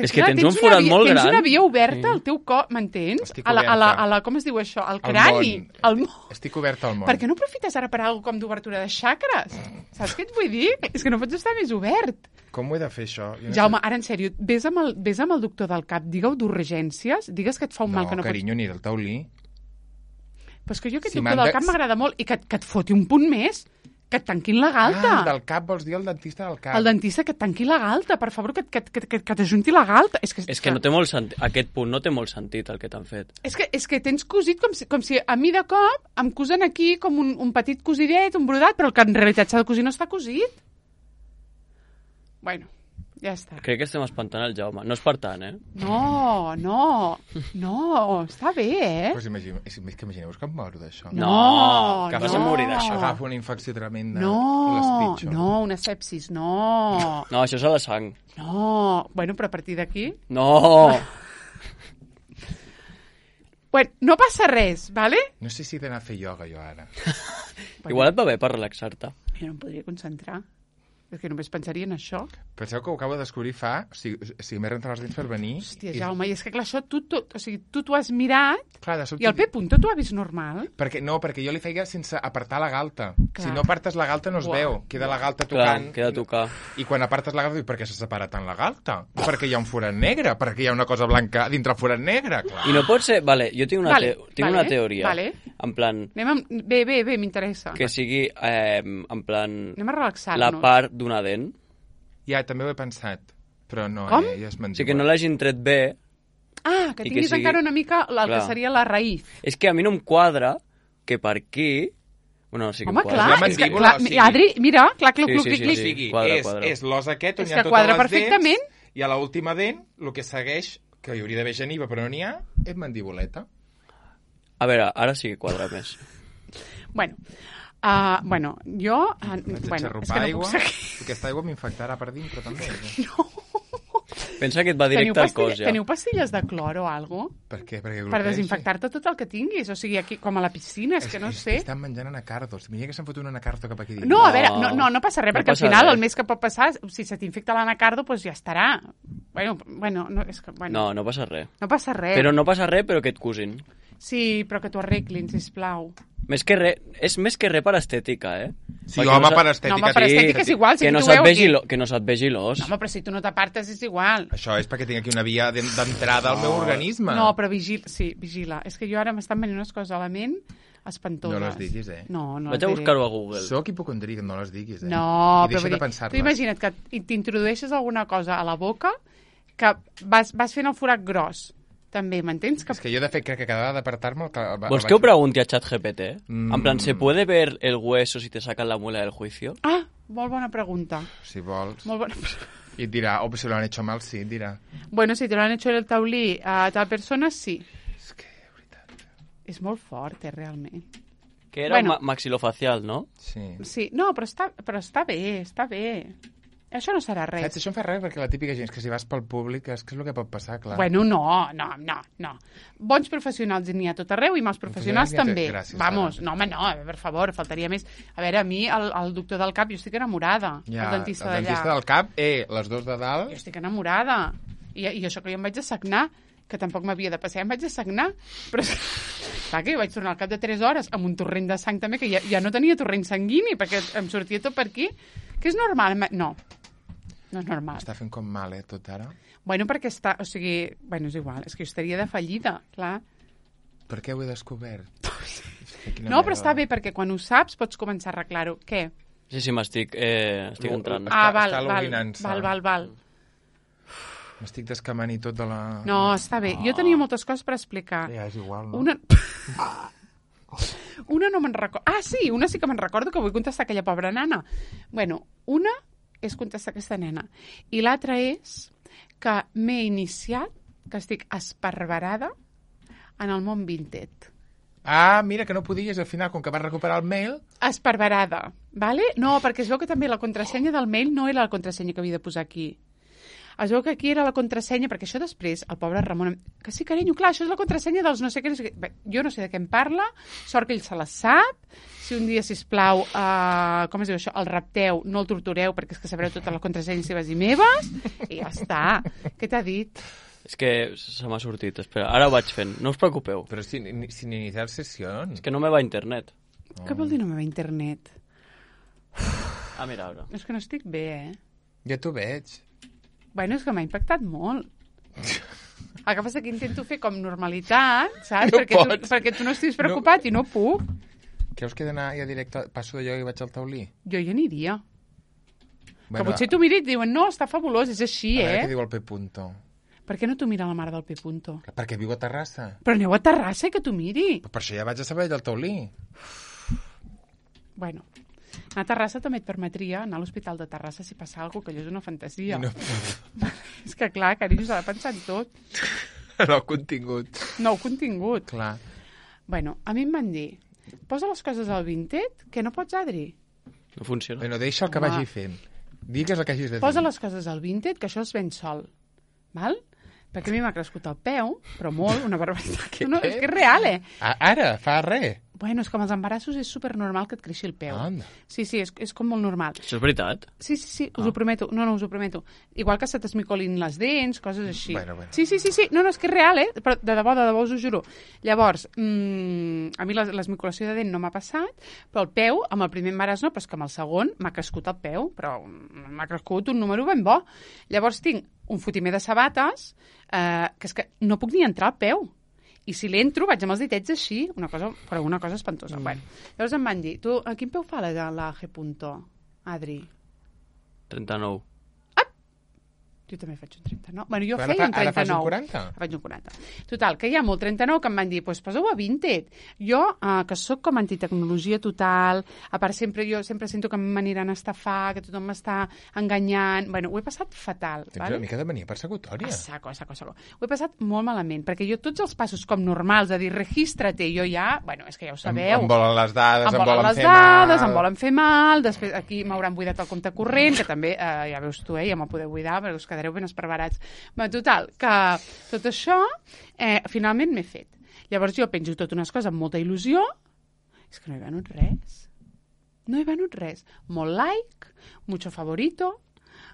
És que tens un forat una via, molt tens gran. una via oberta Sí. al teu cor, m'entens? Estic A la, a, la, oberta. a la, com es diu això? Al Al crani. món. Al món. Estic obert al món. Per què no aprofites ara per alguna com d'obertura de xacres? Saps què et vull dir? És que no pots estar més obert. Com ho he de fer, això? Jo no Jaume, sé. ara, en sèrio, vés amb el, vés amb el doctor del cap, digue-ho d'urgències, digues que et fa un mal que No, no carinyo, ni del taulí. pots... Però és que jo aquest Si doctor m'han del de- cap m'agrada molt i que, et- que et foti un punt més, que et tanquin la galta. Ah, del cap vols dir el dentista del cap. El dentista que et tanqui la galta, per favor, que, et- que, et- que, et- que, que t'ajunti la galta. És que, És que no té molt sentit, aquest punt no té molt sentit el que t'han fet. És que, és que tens cosit com si, com si a mi de cop em cosen aquí com un, un petit cosidet, un brodat, però el que en realitat s'ha de cosir no està cosit. Bueno, ja està. Crec que estem espantant el Jaume. No és per tant, eh? No, no, no, està bé, eh? Pues imagine, és, és que imagineu-vos que em moro d'això. No, que no. vas a morir d'això. Agafo una infecció tremenda i No, l'espitxo. no, una sepsis, no, No, això és a la sang. no. Bueno, però a partir d'aquí... No! Bueno, no passa res, ¿vale? No sé si he d'anar a fer ioga jo ara. Igual et va bé per relaxar-te. Jo no em podria concentrar. És que només pensaria en això. Penseu que ho acabo de descobrir fa... O sigui, o sigui m'he rentat els dents per venir. Hòstia, i- Jaume, i és que clar, això tu, tu, o sigui, tu t'ho has mirat Clar, de sobte... i el P-punto t'ho ha vist normal. Perquè, no, perquè jo li feia sense apartar la galta. Clar. Si no apartes la galta no es Uah. veu. Queda la galta Clar, tocant. queda a tocar. I quan apartes la galta, dic, per què s'ha separat tant la galta? Perquè hi ha un forat negre, perquè hi ha una cosa blanca dintre el forat negre. Clar. I no pot ser... Vale, jo tinc una, Vale, te... tinc vale, una teoria. vale. En plan, Anem amb... Bé, bé, bé, m'interessa. que sigui, eh, en plan, Anem a relaxar-nos. la part d'una dent. Ja, també ho he pensat. Però no, Com? eh, ja és O mentida. sigui, que no l'hagin tret bé. Ah, que I que tinguis sigui- encara una mica el que Clar. seria la raïz. És que a mi no em quadra que per aquí... Bueno, sí que Home, em quadra. clar, la és que, mandíbula, clar, o sigui- Adri, mira, clar, cluc, Sí, cluc, sí, clic, sí, clic. O sigui, Quadra, és, quadra. és l'os aquest on És hi ha que totes quadra les perfectament. dents, i a l'última dent, el que segueix, que hi hauria d'haver geniva, però no n'hi ha, és mandibuleta. A veure, ara sí que quadra més. Bueno, uh, bueno, jo... Uh, Vaig bueno, a és xarrupar que no aigua. puc seguir. Aquesta aigua m'infectarà per dintre, també. Eh? Pensa que et va Teniu, directe al pastilla, cos, ja. teniu pastilles de clor o alguna cosa? Per què? Perquè Per gluteix? desinfectar-te tot el que tinguis. O sigui, aquí, com a la piscina, és que no sé. Estan menjant anacardos. Mira que s'han fotut un anacardo cap aquí dins. No, a No. veure, no, no, no passa res, No perquè passa al final res. el més que pot passar, si se t'infecta l'anacardo, doncs ja estarà. Bueno, bueno, no, és que, bueno, No, no passa res. no passa res. Però no passa res, però que et cosin. Sí, però que t'ho arreglin, sisplau. Més que res, és més que res per estètica, eh? Sí, Perquè home, no sa- per estètica. No, home, per sí. estètica és igual, si que, no tu se't veu vegi aquí. lo, que no se't vegi l'os. No, home, però si tu no t'apartes és igual. Això és perquè tinc aquí una via d'en- d'entrada al meu organisme. No, però vigila, sí, vigila. És que jo ara m'estan venint unes coses a la ment espantoses. No les diguis, eh? No, no Vaig a les diré. buscar-ho a Google. Soc hipocondríac, no les diguis, eh? No, I però deixa vull de dir, tu pensar-les. imagina't que t'introdueixes alguna cosa a la boca que vas, vas fent el forat gros. També, m'entens? Que... És que jo, de fet, crec que cada vegada d'apartar-me... el que- el ¿Vols vaig- que ho pregunti a ChatGPT? Mm. En plan, ¿se puede ver el hueso si te sacan la muela del juicio? Ah, molt bona pregunta. Si vols. Molt bona... I et dirà, oh, si lo han hecho mal, sí, et dirà. Bueno, si te lo han hecho el taulí a tal persona, sí. És que, de veritat... És molt fort, eh, realment. Que era Bueno. ma maxilofacial, no? Sí. Sí, no, però està, però està bé, està bé. Això no serà res. Saps, això em fa res perquè la típica gent és que si vas pel públic és que és el que pot passar, clar. Bueno, no, no, no, no. Bons professionals n'hi ha tot arreu i mals professionals Professionals n'hi ha també. tot- gràcies, Vamos, Sara. no, home, no, per favor, faltaria més. A veure, a mi, el, el doctor del cap, jo estic enamorada. Ja, el dentista el d'allà. dentista del cap, eh, les dos de Jo dalt... estic enamorada. I, i això que jo em vaig assagnar, que tampoc m'havia de passar, em vaig assagnar. Però, clar, que jo vaig tornar al cap de tres hores amb un torrent de sang també, que ja, ja no tenia torrent sanguini, perquè em sortia tot per aquí. Que és normal. ma- No. No és normal. Està fent com mal, eh, tot ara. Bueno, perquè està... O sigui... Bueno, és igual. És que jo estaria de fallida, clar. Per què ho he descobert? No, però està bé, perquè quan ho saps pots començar a arreglar-ho. Què? Sí, sí, m'estic eh, estic Lo- entrant. Està- Ah, val, està val, login-se. val, val, val. M'estic descamant i tot de la... No, està bé. Jo tenia moltes coses per explicar. Ja, és igual, no? Una... una no me'n recordo... Ah, sí, una sí que me'n recordo que vull contestar aquella pobra nana. Bueno, una és contestar aquesta nena. I l'altra és que m'he iniciat, que estic esparverada en el món Vinted. Ah, mira, que no podies, al final, com que vas recuperar el mail... Esparverada, vale? No, perquè es veu que també la contrasenya del mail no era la contrasenya que havia de posar aquí. Es veu que aquí era la contrasenya, perquè això després, el pobre Ramon... Que sí, carinyo, clar, això és la contrasenya dels no sé què... No sé què. Bé, jo no sé de què em parla, sort que ell se la sap. Si un dia, sisplau, uh, com es diu això, el rapteu, no el tortureu, perquè és que sabreu totes les contrasenyes seves i meves, i ja està. Què t'ha dit? És que se m'ha sortit. Espera, ara ho vaig fent. No us preocupeu. Però sin, sin iniciar sessions. És que no me va a internet. Oh. Què vol dir no me va a internet? Ah, mira, ara. És que no estic bé, eh? Ja t'ho veig. Bueno, és que m'ha impactat molt. El que passa que intento fer com normalitat, saps? No perquè, tu, pots. perquè tu no estiguis preocupat no. i no puc. Creus que he d'anar ja directe... Passo d'allò i vaig al taulí? Jo hi aniria. Bueno, que potser tu mires i et diuen, no, està fabulós, és així, a veure eh? què diu el P. Punto. Per què no t'ho mira la mare del P. Punto? Perquè viu a Terrassa. Però aneu a Terrassa i que t'ho miri. Per això ja vaig a saber del taulí. Bueno, a Terrassa també et permetria anar a l'Hospital de Terrassa si passa alguna cosa, que allò és una fantasia. No. És que clar, carinyo, s'ha de pensar en tot. No, contingut. Nou contingut. Clar. Bueno, a mi em van dir, posa les coses al Vinted, que no pots, Adri. No funciona. Bueno, deixa el que Home. vagi fent. Digues el que hagis de dir. Posa les coses al Vinted, que això es ven sol. Val? Perquè a mi m'ha crescut el peu, però molt, una barbaritat. Què? No, és que és real, eh? A- Ara, fa res. Bueno, és que amb els embarassos és supernormal que et creixi el peu. Anda. Sí, sí, és, és com molt normal. Això és veritat? Sí, sí, sí, us ho prometo. No, no, us ho prometo. Igual que se t'esmicolin les dents, coses així. Bueno, bueno. Sí, sí, sí, sí. No, no, és que és real, eh? Però de debò, de debò, us ho juro. Llavors, mmm, a mi l'es- l'esmicolació de dent no m'ha passat, però el peu, amb el primer embaràs no, però és que amb el segon m'ha crescut el peu, però m'ha crescut un número ben bo. Llavors tinc un fotimer de sabates, eh, que és que no puc ni entrar al peu. I si l'entro, vaig amb els ditets així, una cosa, però una cosa espantosa. Mm. Bueno, llavors em van dir, tu, a quin peu fa la, la G. Punto, Adri? trenta-nou. Jo també faig un trenta-nou. Bueno, jo Ara feia fa- un ara fas un trenta-nou. quaranta? Faig un quaranta. Total, que hi ha molt trenta-nou que em van dir, pues, poseu a Vinted. Jo, eh, que sóc com antitecnologia total, a part sempre jo sempre sento que m'aniran a estafar, que tothom m'està enganyant... Bueno, ho he passat fatal. Tens Vale? una mica de mania persecutòria. A saco, a saco, a saco. Ho he passat molt malament, perquè jo tots els passos com normals, a dir, registra-te, jo ja... Bueno, és que ja ho Em, sabeu. em volen les dades, em, Em volen les fer dades, mal. em volen fer mal, després aquí m'hauran buidat el compte corrent, que també, eh, ja veus tu, eh, ja me'l podeu buidar, perquè us quedareu ben esparverats. Bé, total, que tot això, eh, finalment m'he fet. Llavors jo penjo tot unes coses amb molta il·lusió, és que no he venut res. No he venut res. Molt like, mucho favorito,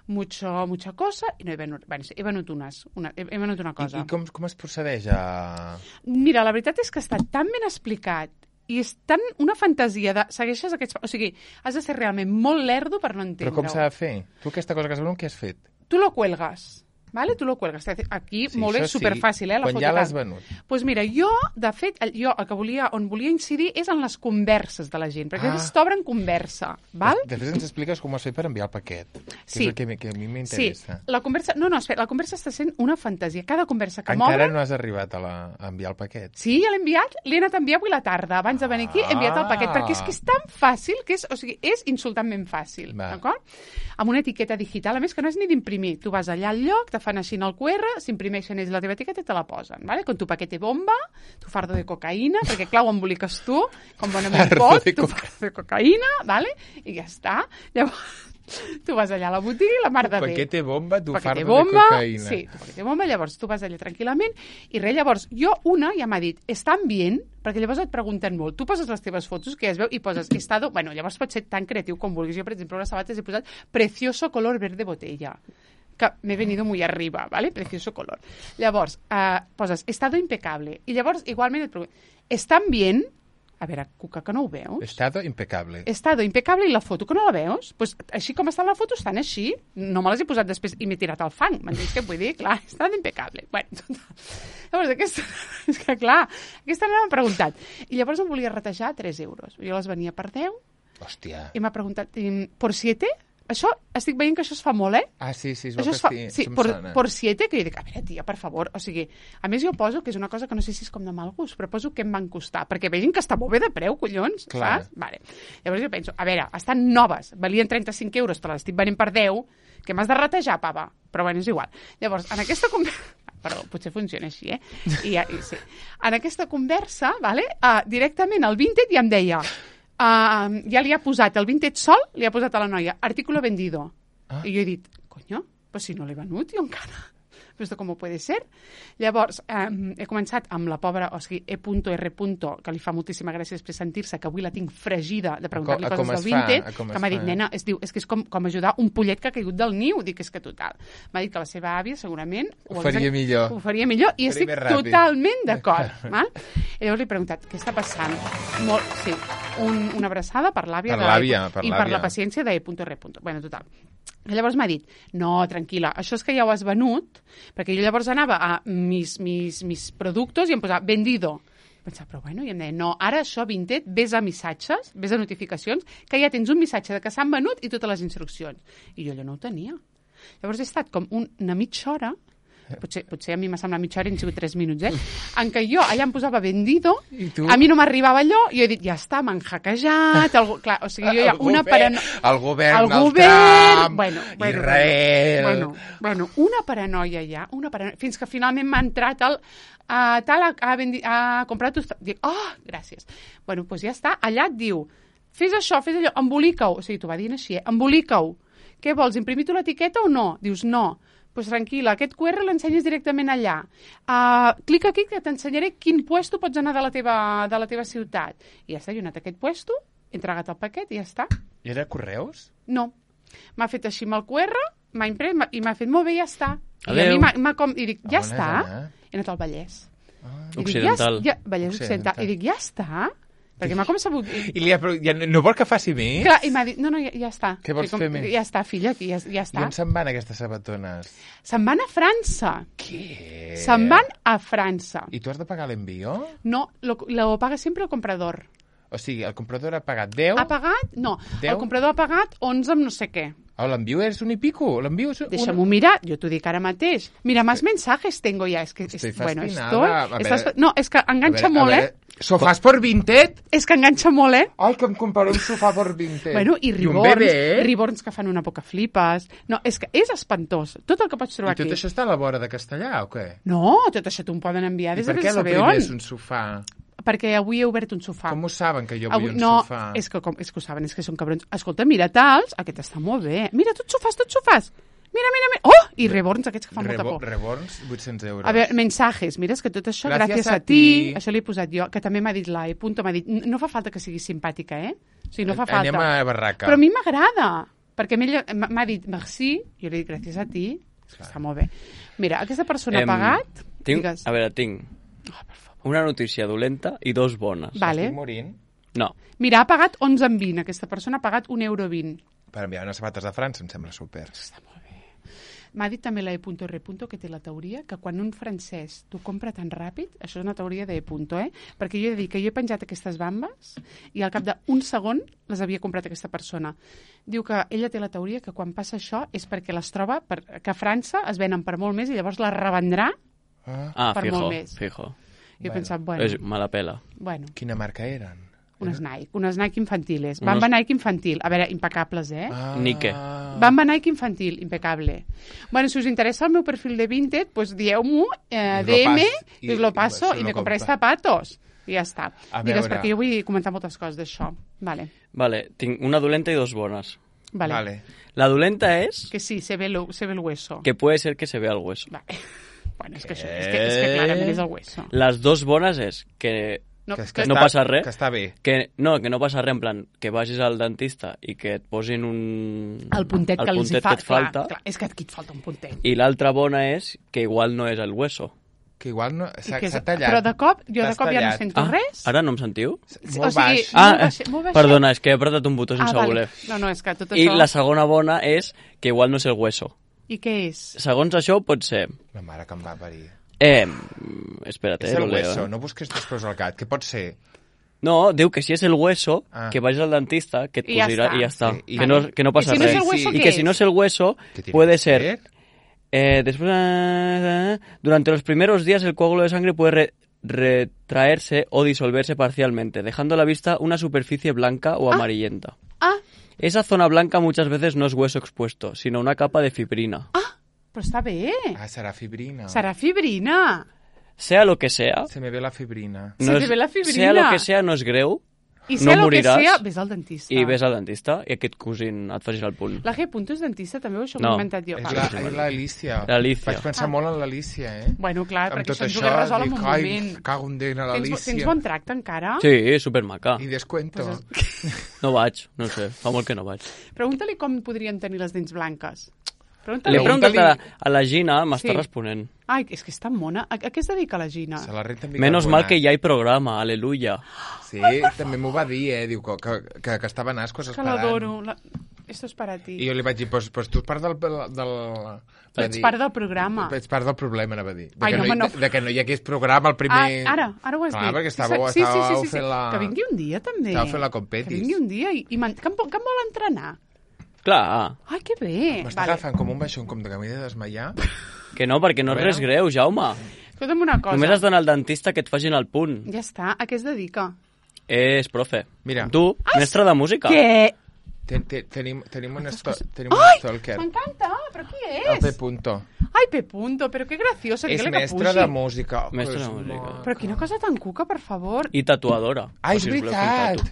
mucho, mucha cosa, i no he venut... Bueno, sí, he venut unes, una, he, he venut una cosa. I, i com, com es procedeix a... Mira, la veritat és que està tan ben explicat i és tan una fantasia de... Segueixes aquests... O sigui, has de ser realment molt lerdo per no entendre-ho. Però com s'ha de fer? Tu aquesta cosa que has venut, què has fet? Tu lo cuelgas, ¿vale? Tu lo cuelgas. Aquí, Sí, molt bé, això sí, superfàcil, eh? La quan foto ja tal. l'has venut. Doncs pues mira, jo, de fet, el- jo el que volia, on volia incidir és en les converses de la gent, perquè Ah. ah. t'obren conversa, val? Després ens expliques com ho has fet per enviar el paquet, que Sí. és el que, mi- que a mi Sí, m'interessa. la conversa... No, no, espera, la conversa està sent una fantasia. Cada conversa que Encara m'obren... no has arribat a, la, a enviar el paquet. Sí, ja l'he enviat, l'he anat a enviar avui a la tarda, abans de venir aquí, he enviat el paquet, Ah. perquè és que és tan fàcil, que és, o sigui, és insultantment fàcil, Va. d'acord? Amb una etiqueta digital, a més que no és ni d'imprimir. Tu vas allà al lloc, te fan així en el Q R, s'imprimeixen ells la teva etiqueta i te la posen, ¿vale? Con tu paquete bomba, tu fardo de cocaïna, perquè clar, ho emboliques tu, com bonament Fardo pots, de tu coca- fardo de cocaïna, ¿vale? I ja està. Llavors, tu vas allà a la botiga i la mar de bé. Paquete bomba, tu Paquete fardo bomba, de cocaïna. sí, tu paquete bomba, llavors tu vas allà tranquil·lament i res, llavors jo una ja m'ha dit, estan bien? Perquè llavors et pregunten molt, tu poses les teves fotos que ja es veu i poses estado, bueno, llavors pots ser tan creatiu com vulguis, jo per exemple les sabates he posat precioso color verde botella, que m'he venido muy arriba, ¿vale? Precioso color. Llavors, eh, poses estado impecable i llavors igualment et pregunten, estan bien? A veure, Cuca, que no ho veus? Estado impecable. Estado impecable i la foto, que no la veus? Pues, així com està la foto, estan així. No me les he posat després i m'he tirat al fang. M'entens què vull dir? Clar, estado impecable. Bueno, total. Llavors, aquesta... És que, clar, aquesta nena m'ha preguntat. I llavors em volia retejar tres euros. Jo les venia per deu. Hòstia. I m'ha preguntat, ¿por siete? Això, estic veient que això es fa molt, eh? Ah, sí, sí, es això veu es que fa, estic... sí, por, por siete, que jo dic, a veure, tia, per favor, o sigui, a més jo poso, que és una cosa que no sé si és com de mal gust, però poso què em van costar, perquè vegin que està molt bé de preu, collons, clar. Saps? Vale. Llavors jo penso, a veure, estan noves, valien trenta-cinc euros, però les estic venent per deu, que m'has de retejar, pava? Però bueno, és igual. Llavors, en aquesta conversa... Perdó, potser funciona així, eh? I, ja, i sí. En aquesta conversa, vale, uh, directament el Vinted ja em deia, uh, ja li ha posat el Vinted sol, li ha posat a la noia, artículo vendido. Ah. I jo he dit, coño, pues si no l'he venut jo encara. Però esto com puede ser? Llavors, eh, he començat amb la pobra, o sigui, E.R. que li fa moltíssima gràcia després sentir-se, que avui la tinc fregida de preguntar-li coses del Vinted, que m'ha dit, nena, es diu, és que és com, com ajudar un pollet que ha caigut del niu. Dic, és que total. M'ha dit que la seva àvia segurament ho faria millor. Ho faria millor i estic totalment d'acord. I llavors li he preguntat, què està passant? Molt, sí, un, una abraçada per l'àvia per l'àvia, per i per la paciència de E.R. Bueno, total. I llavors m'ha dit, no, tranquil·la, això és que ja ho has venut, perquè jo llavors anava a mis, mis, mis productos i em posava vendido. Pensava, però bueno, i em deia, no, ara això, Vinted, ves a missatges, ves a notificacions, que ja tens un missatge de que s'han venut i totes les instruccions. I jo allò no ho tenia. Llavors he estat com una mitja hora, potser, potser a mi m'ha semblat mitja hora i han sigut tres minuts, eh? En què jo allà em posava vendido, a mi no m'arribava allò, i jo he dit, ja està, m'han hackejat, el, clar, o sigui, jo ja el una govern, paranoia... El govern, el, el govern, Trump, bueno, bueno, Israel... Bueno, bueno, una paranoia ja, una paranoia, fins que finalment m'ha entrat el... Uh, tal, ha, ha, vendi, ha comprat... Tu... Dic, oh, gràcies. Bueno, doncs ja està, allà et diu, fes això, fes allò, embolica-ho. O sigui, t'ho va dient així, eh? Embolica-ho. Què vols, imprimir-te l'etiqueta o no? Dius, no. Doncs pues tranquil·la, aquest Q R l'ensenyes directament allà. Uh, clica aquí que t'ensenyaré quin puesto pots anar de la teva, de la teva ciutat. I ja està, jo he anat a aquest puesto, he entregat el paquet i ja està. I era correus? No. M'ha fet així amb el Q R, m'ha imprès i m'ha fet molt bé i ja està. Adeu. I a mi m'ha com... I dic, ja on està. He anat al Vallès. Ah. Occidental. Dic, ja, ja, Vallès Occidental. I dic, ja està. Perquè m'ha com sabut... I li ha, ja no vol que faci més? Clar, i m'ha dit, no, no, ja, ja està. Què vols com, fer més? Ja està, filla, ja, ja està. I on se'n van aquestes sabatones? Se'n van a França. Què? Se'n van a França. I tu has de pagar l'envío? No, lo, lo paga sempre el comprador. O sigui, el comprador ha pagat deu? Ha pagat? No, deu? El comprador ha pagat onze amb no sé què. Oh, l'envío és un i pico? L'envío és un... Deixa'm-ho mirar, jo t'ho dic ara mateix. Mira, más mensajes tengo ya. Es que, Estoy es, bueno, fascinada. estoy, estás, no, és que enganxa a veure, molt, a veure, eh? Sofàs por Vinted? És que enganxa molt, eh? Ai, que em compraré un sofà por Vinted. Bueno, i I un riborns, bebè, eh? riborns que fan una poca flipes. No, és que és espantós. Tot el que pots trobar I tot aquí. això està a la vora de Castellà, o què? No, tot això t'ho poden enviar I des de per què el saber primer on. és un sofà? Perquè avui he obert un sofà. Com ho saben, que jo vull Avui, un no, sofà? és que, com, és que ho saben, és que són cabrons. Escolta, mira tals, aquest està molt bé. Mira, tots sofàs, tots sofàs. Mira, mira, mira. Oh! I reborns, aquests que fan Rebo, molta por. Reborns, vuit-cents euros. A veure, mensajes. Mira, és que tot això, Gràcies gràcies a a ti. ti. Això l'he posat jo, que també m'ha dit la E. Punto, m'ha dit, no fa falta que siguis simpàtica, eh? O sigui, no fa falta. Anem a barraca. Però a mi m'agrada, perquè m'he- m'ha dit merci, jo li dic gràcies a ti, és que està molt bé. Mira, aquesta persona Em, ha pagat... Tinc, Digues. a veure, tinc Oh, per favor. una notícia dolenta i dos bones. Vale. Estic morint No. Mira, ha pagat onze amb vint. Aquesta persona ha pagat un euro vint. per enviar unes sabates de França, em sembla super. Està molt bé. M'ha dit també la E.R. que té la teoria que quan un francès t'ho compra tan ràpid, això és una teoria de E. Eh? Perquè jo he de dir que jo he penjat aquestes bambes i al cap d'un segon les havia comprat aquesta persona. Diu que ella té la teoria que quan passa això és perquè les troba, per, que a França es venen per molt més i llavors les revendrà. Ah, Ah, Per fijo, molt més. fijo. Jo he Bueno. pensat, bueno, És mala pela. bueno, quina marca eren? unes Nike, unes Nike infantiles. Unos- Bamba Nike infantil. A veure, impecables, eh? Ah. Nike. Bamba Nike infantil, impecable. Bueno, si us interesa el meu perfil de Vinted, pues dieu-m'ho, eh, Us lo D M, pas- i us lo i- paso se i lo me compré compra. zapatos. I ja està. A Digues, veure. perquè jo vull comentar moltes coses d'això. Vale, Vale, tinc una dolenta i dos bones. vale. Vale. La dolenta es Que sí, se ve, lo, se ve el hueso. que puede ser que se vea el hueso. Vale. Bueno, és que això, és que, és que clarament és el hueso. Las dos bones és que No, que, que, no està, passa res. Que està bé. que no, que no passa res, en plan, que vagis al dentista i que et posin un... el puntet el que els hi puntet fa, que et falta. Clar, clar, és que aquí et falta un puntet. I l'altra bona és que igual no és el hueso. que igual no, I s'ha que és- s'ha tallat. Però de cop, jo de T'has cop ja no tallat. sento Ah, res. ara no em sentiu? Molt o sigui, baix. Ah, molt baix, molt baix. perdona, és que he apretat un botó sense ah, vale. voler. No, no, és que tot I això... la segona bona és que igual no és el hueso. I què és? Segons això pot ser... La mare que em va parir. Eh, mm, espera't, És eh, el lo leo, hueso, eh. no busques després al gat. Què pot ser? No, diu que si és el hueso, Ah. que vagis al dentista, que et I ja posarà està. i ja està. Sí, i- que, no, que no passa I si no res. és el hueso, y què que és? si no es el hueso, ¿Qué tiene puede que ser... ser? Eh, después, eh, durante los primeros días el coágulo de sangre puede re- retraerse o disolverse parcialmente, dejando a la vista una superficie blanca o amarillenta. Ah, Esa zona blanca muchas veces no es hueso expuesto, sino una capa de fibrina. però està bé. Ah, serà fibrina. Serà fibrina. Sea lo que sea, Se me ve la fibrina. Se te ve la fibrina. sea lo que sea, no és greu, I no sé el que moriràs sea, ves al dentista. i ves al dentista i aquest cosint et facis el punt. La G. Punto és dentista, també, o això No. m'ho he inventat jo? És Va. la- és l'Alícia. L'Alícia. Vaig pensar molt en l'Alícia, eh? Bueno, clar, Amb perquè tot això ens ho això, hagués resolt en dic, un ai, moment. cago en Déu, Tens, l'Alícia. tens bon tracte encara? Sí, supermaca. I descuento. Pues No vaig, no sé, fa molt que no vaig. Pregunta-li com podrien tenir les dents blanques. L'he Pregunta-li. preguntat a la, a la Gina, m'està Sí. responent. Ai, és que és tan mona. A, a què es dedica la Gina? Se la renta amb Menos mal que bicarbonat. ja hi programa, aleluia. Sí, també m'ho va dir, eh? Diu que, que, que estaven ascos Que esperant. l'adoro. La... Esto es para ti. I jo li vaig dir, pues, pues tu ets part del... del va Ets dir, part del programa. Ets part del problema, anava a dir. De, Ai, que, no, no, home, hi- no. de, de que no hi hagués programa al Ah, primer... ara, ara ho has Clar, dit. perquè estàveu, sí, sí, sí, estàveu sí, sí. fent la... Que vingui un dia, també. Estàveu fent la competis. Que vingui un dia i, i man... que, em, vol- que em vol entrenar. Clar, Ai, que bé. M'està agafant com un baixón, com de que m'he de desmaiar. que no, perquè no és res greu, Jaume. Escolta'm una cosa. Només has d'anar al dentista que et facin el punt. Ja està. A què es dedica? És profe. Mira. Tu, mestre de música. Què? Ten, ten, tenim, tenim un, esto, tenim un Ai, stalker. m'encanta. Però qui El és? P. Punto. Ai, P. Punto, però que gracioso. És Dígale que mestre pugi. de música. Mestre Que de és música. molt- Però quina cosa tan cuca, per favor. I tatuadora. Ah, és Per si us voleu fer un veritat. tatu.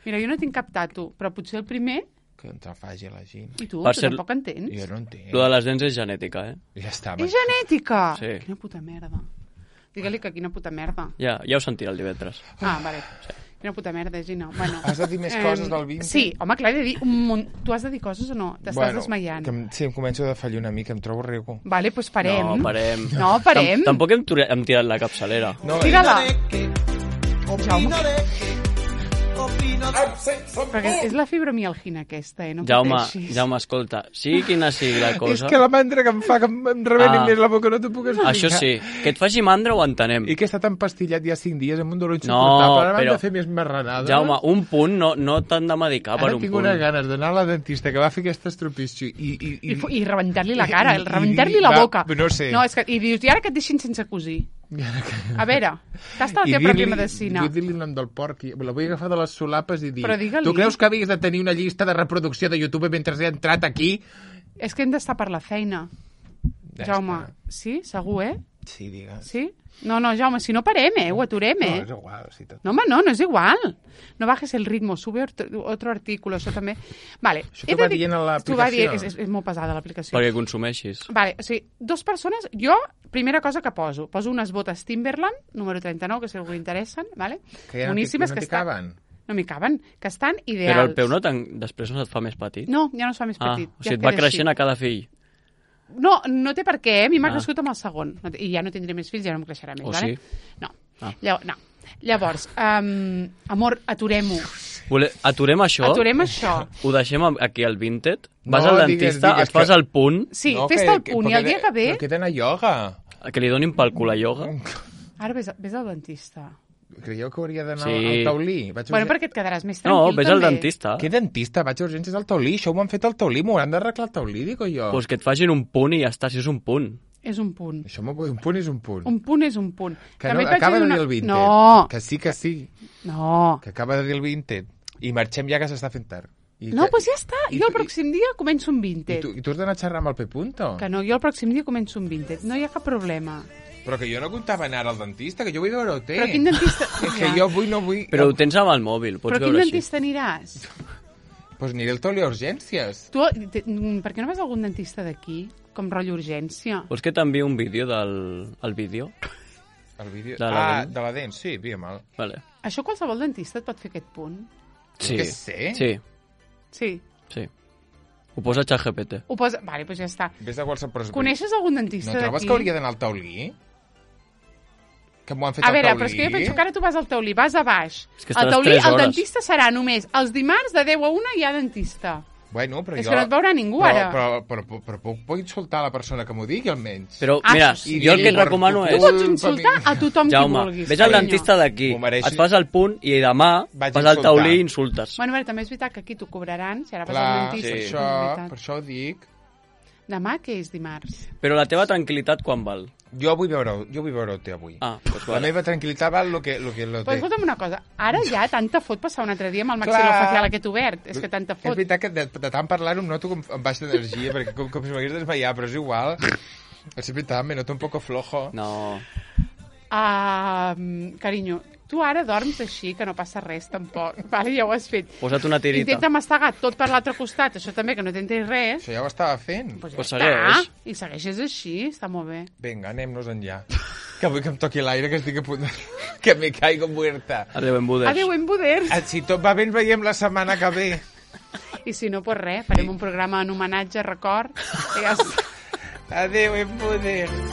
Mira, jo no tinc cap tatu, però potser el primer... Que ens el faci la gent. I tu, Per tu ser- tampoc entens. Jo no entenc. Lo de les dents és genètica, eh? Ja està. És genètica! Sí. Quina puta merda. Digue-li que quina puta merda. Ja, ja ho sentirà el divendres. Ah, vale. Quina puta merda, Gina. Bueno, Has de dir més em, coses del vintage? Sí, home, clar, he de dir un munt... Tu has de dir coses o no? T'estàs desmaiant. Que em, sí, em començo a defallir una mica, em trobo rico. Vale, doncs parem. No, parem. No, parem. Tam Tampoc hem, ture- hem tirat la capçalera. No, Tira-la. Jaume. Perquè és la fibromialgina aquesta, eh? No Jaume, pateixis. Jaume, escolta, sigui quina sigui la és cosa... que la mandra que em fa que em, em rebeni Ah. més la boca, no t'ho puc explicar. Això sí, que et faci mandra ho entenem. I que he estat empastillat ja cinc dies amb un dolor No, insuportable. Ara m'han però- de fer més marranades. Jaume, un punt no, no t'han de medicar per Ara un tinc punt. unes ganes d'anar a la dentista que va fer aquesta estropício i... I, I, fu- i rebentar-li la cara, i- el i- rebentar-li i- la va, boca. no sé. No, és que, I dius, i ara que et deixin sense cosir. A veure, tasta la I teva dir-li- pròpia medicina. vull dir-li el nom del porc. i La vull agafar de les solapes i dir... Però digue-li. Tu creus que havies de tenir una llista de reproducció de YouTube mentre he entrat aquí? És que hem d'estar per la feina. Ja Jaume, està. sí? Segur, eh? Sí, digues. Sí? No, no, Jaume, si no parem, eh? Ho aturem, No, eh? és igual, sí, tot. No, home, no, no és igual. No bajes el ritmo, sube otro, otro artículo, això també. Vale. Això he t'ho va de dir- dient a l'aplicació? T'ho va dir, és, és, és molt pesada l'aplicació. Perquè consumeixis. Vale, o sigui, dos persones... Jo, primera cosa que poso, poso unes botes Timberland, número trenta-nou, que si algú li interessen, vale? Que ja no t'hi- Boníssimes, no que t'hi estan... caben. No m'hi caben, que estan ideals. Però el peu no tan... després no et fa més petit? No, ja no es fa més Ah, petit. o ja sigui, et queda va creixent així. a cada fill. No, no té per què, eh? A mi m'ha Ah. crescut amb el segon. No té- I ja no tindré més fills, ja no em creixerà més, O vale? sí? No. Ah. Llavors, no. Llavors, um, amor, aturem-ho. Vole... Aturem això? Aturem això. Ho deixem aquí al Vinted? No, Vas al digues, dentista, digues et fas que- el punt, Sí, No, fes-te el punt, i el perquè dia que ve... Però que he d'anar a ioga. que li donin pel cul a ioga. Ara vés, vés al dentista. Creieu que hauria d'anar Sí. al taulí? Vaig a Bueno, urgèn- perquè et quedaràs més No, tranquil, ves al també. dentista. Què dentista? Vaig a urgències al taulí. Això ho han fet al taulí. M'ho han d'arreglar al taulí, dic jo. Pues que et facin un punt i ja està, si és un punt. És un punt. Això m'ho- un punt és un punt. Un punt és un punt. Que També no, et vaig acaba de una- dir el Vinted. No, Que sí, que sí. no. Que acaba de dir el Vinted. I marxem ja que s'està fent tard. I No, que, doncs ja està. i Jo el tu- pròxim dia començo un I Vinted. tu, i tu has d'anar a xerrar amb el P. Punto? Que no, jo el pròxim dia començo un Vinted. No hi ha cap problema. Però que jo no comptava anar al dentista, que jo vull veure-ho té. Però quin dentista... És que jo vull, no vull... Però ho tens amb el mòbil, pots Però quin veure així. dentista aniràs? Pues aniré al taulí a urgències. Tu, te, mm, per què no vas a algun dentista d'aquí? Com rotllo urgència? Vols que t'enviï un vídeo del el vídeo? El vídeo... De la ah, dent? de la dent, sí, envia'm-el. Vale. Això qualsevol dentista et pot fer aquest punt? Sí. Què sé? Sí, Sí. sí. Ho posa a ChatGPT. Ho posa... Vale, doncs ja està. Ves a qualsevol... Coneixes algun No dentista trobes d'aquí? que hauria d'anar al taulí? Que m'ho han fet A al veure, taulí. però és que jo penso que ara tu vas al taulí, vas a baix. És que al estaràs taulí, tres el hores. dentista serà només els dimarts de deu a una hi ha dentista. Bueno, però És jo... que no et veurà ningú, però, ara. Però, però, però, però puc, puc insultar la persona que m'ho digui, almenys? Però, Ah, mira, això sí. jo el que et I recomano per Tu és... pots Culpa insultar mi. a tothom Jaume, qui vulguis. ves al carinyo. dentista d'aquí, M'ho mereixi. et fas el punt i demà Vaig vas al insultar. taulí i insultes. Bueno, a veure, també és veritat que aquí t'ho cobraran, si ara vas Clar, al per dentista. sí. és això, veritat. per això ho dic. Demà, què és dimarts? Però la teva tranquil·litat quan val? Jo vull veure, jo vull veure-te avui. Ah, doncs La vale. meva tranquil·litat val lo que, lo que lo Però té. escolta'm una cosa, ara ja tanta fot passar un altre dia amb el Clar. maxilofacial aquest obert. És que tanta És fot. veritat que de, de tant parlar-ho em noto com amb baixa d'energia, perquè com, com si m'hagués desmaiat, però és igual. És veritat, me noto un poco flojo. No. Ah, carinyo, tu ara dorms així, que no passa res, tampoc. Vale, ja ho has fet. Posa't una tirita. Intenta mastegar tot per l'altre costat, això també, que no t'entris res. Això ja ho estava fent. Pues ja Pues està. segueix. I segueixes així, està molt bé. Vinga, anem-nos enllà. Que vull que em toqui l'aire, que estic a punt de... que me caigo muerta. Adéu, embuders. Adéu, embuders. Ah, si tot va bé, ens veiem la setmana que ve. I si no, pues res, farem un programa en homenatge, record. I ja està. Adéu, embuders.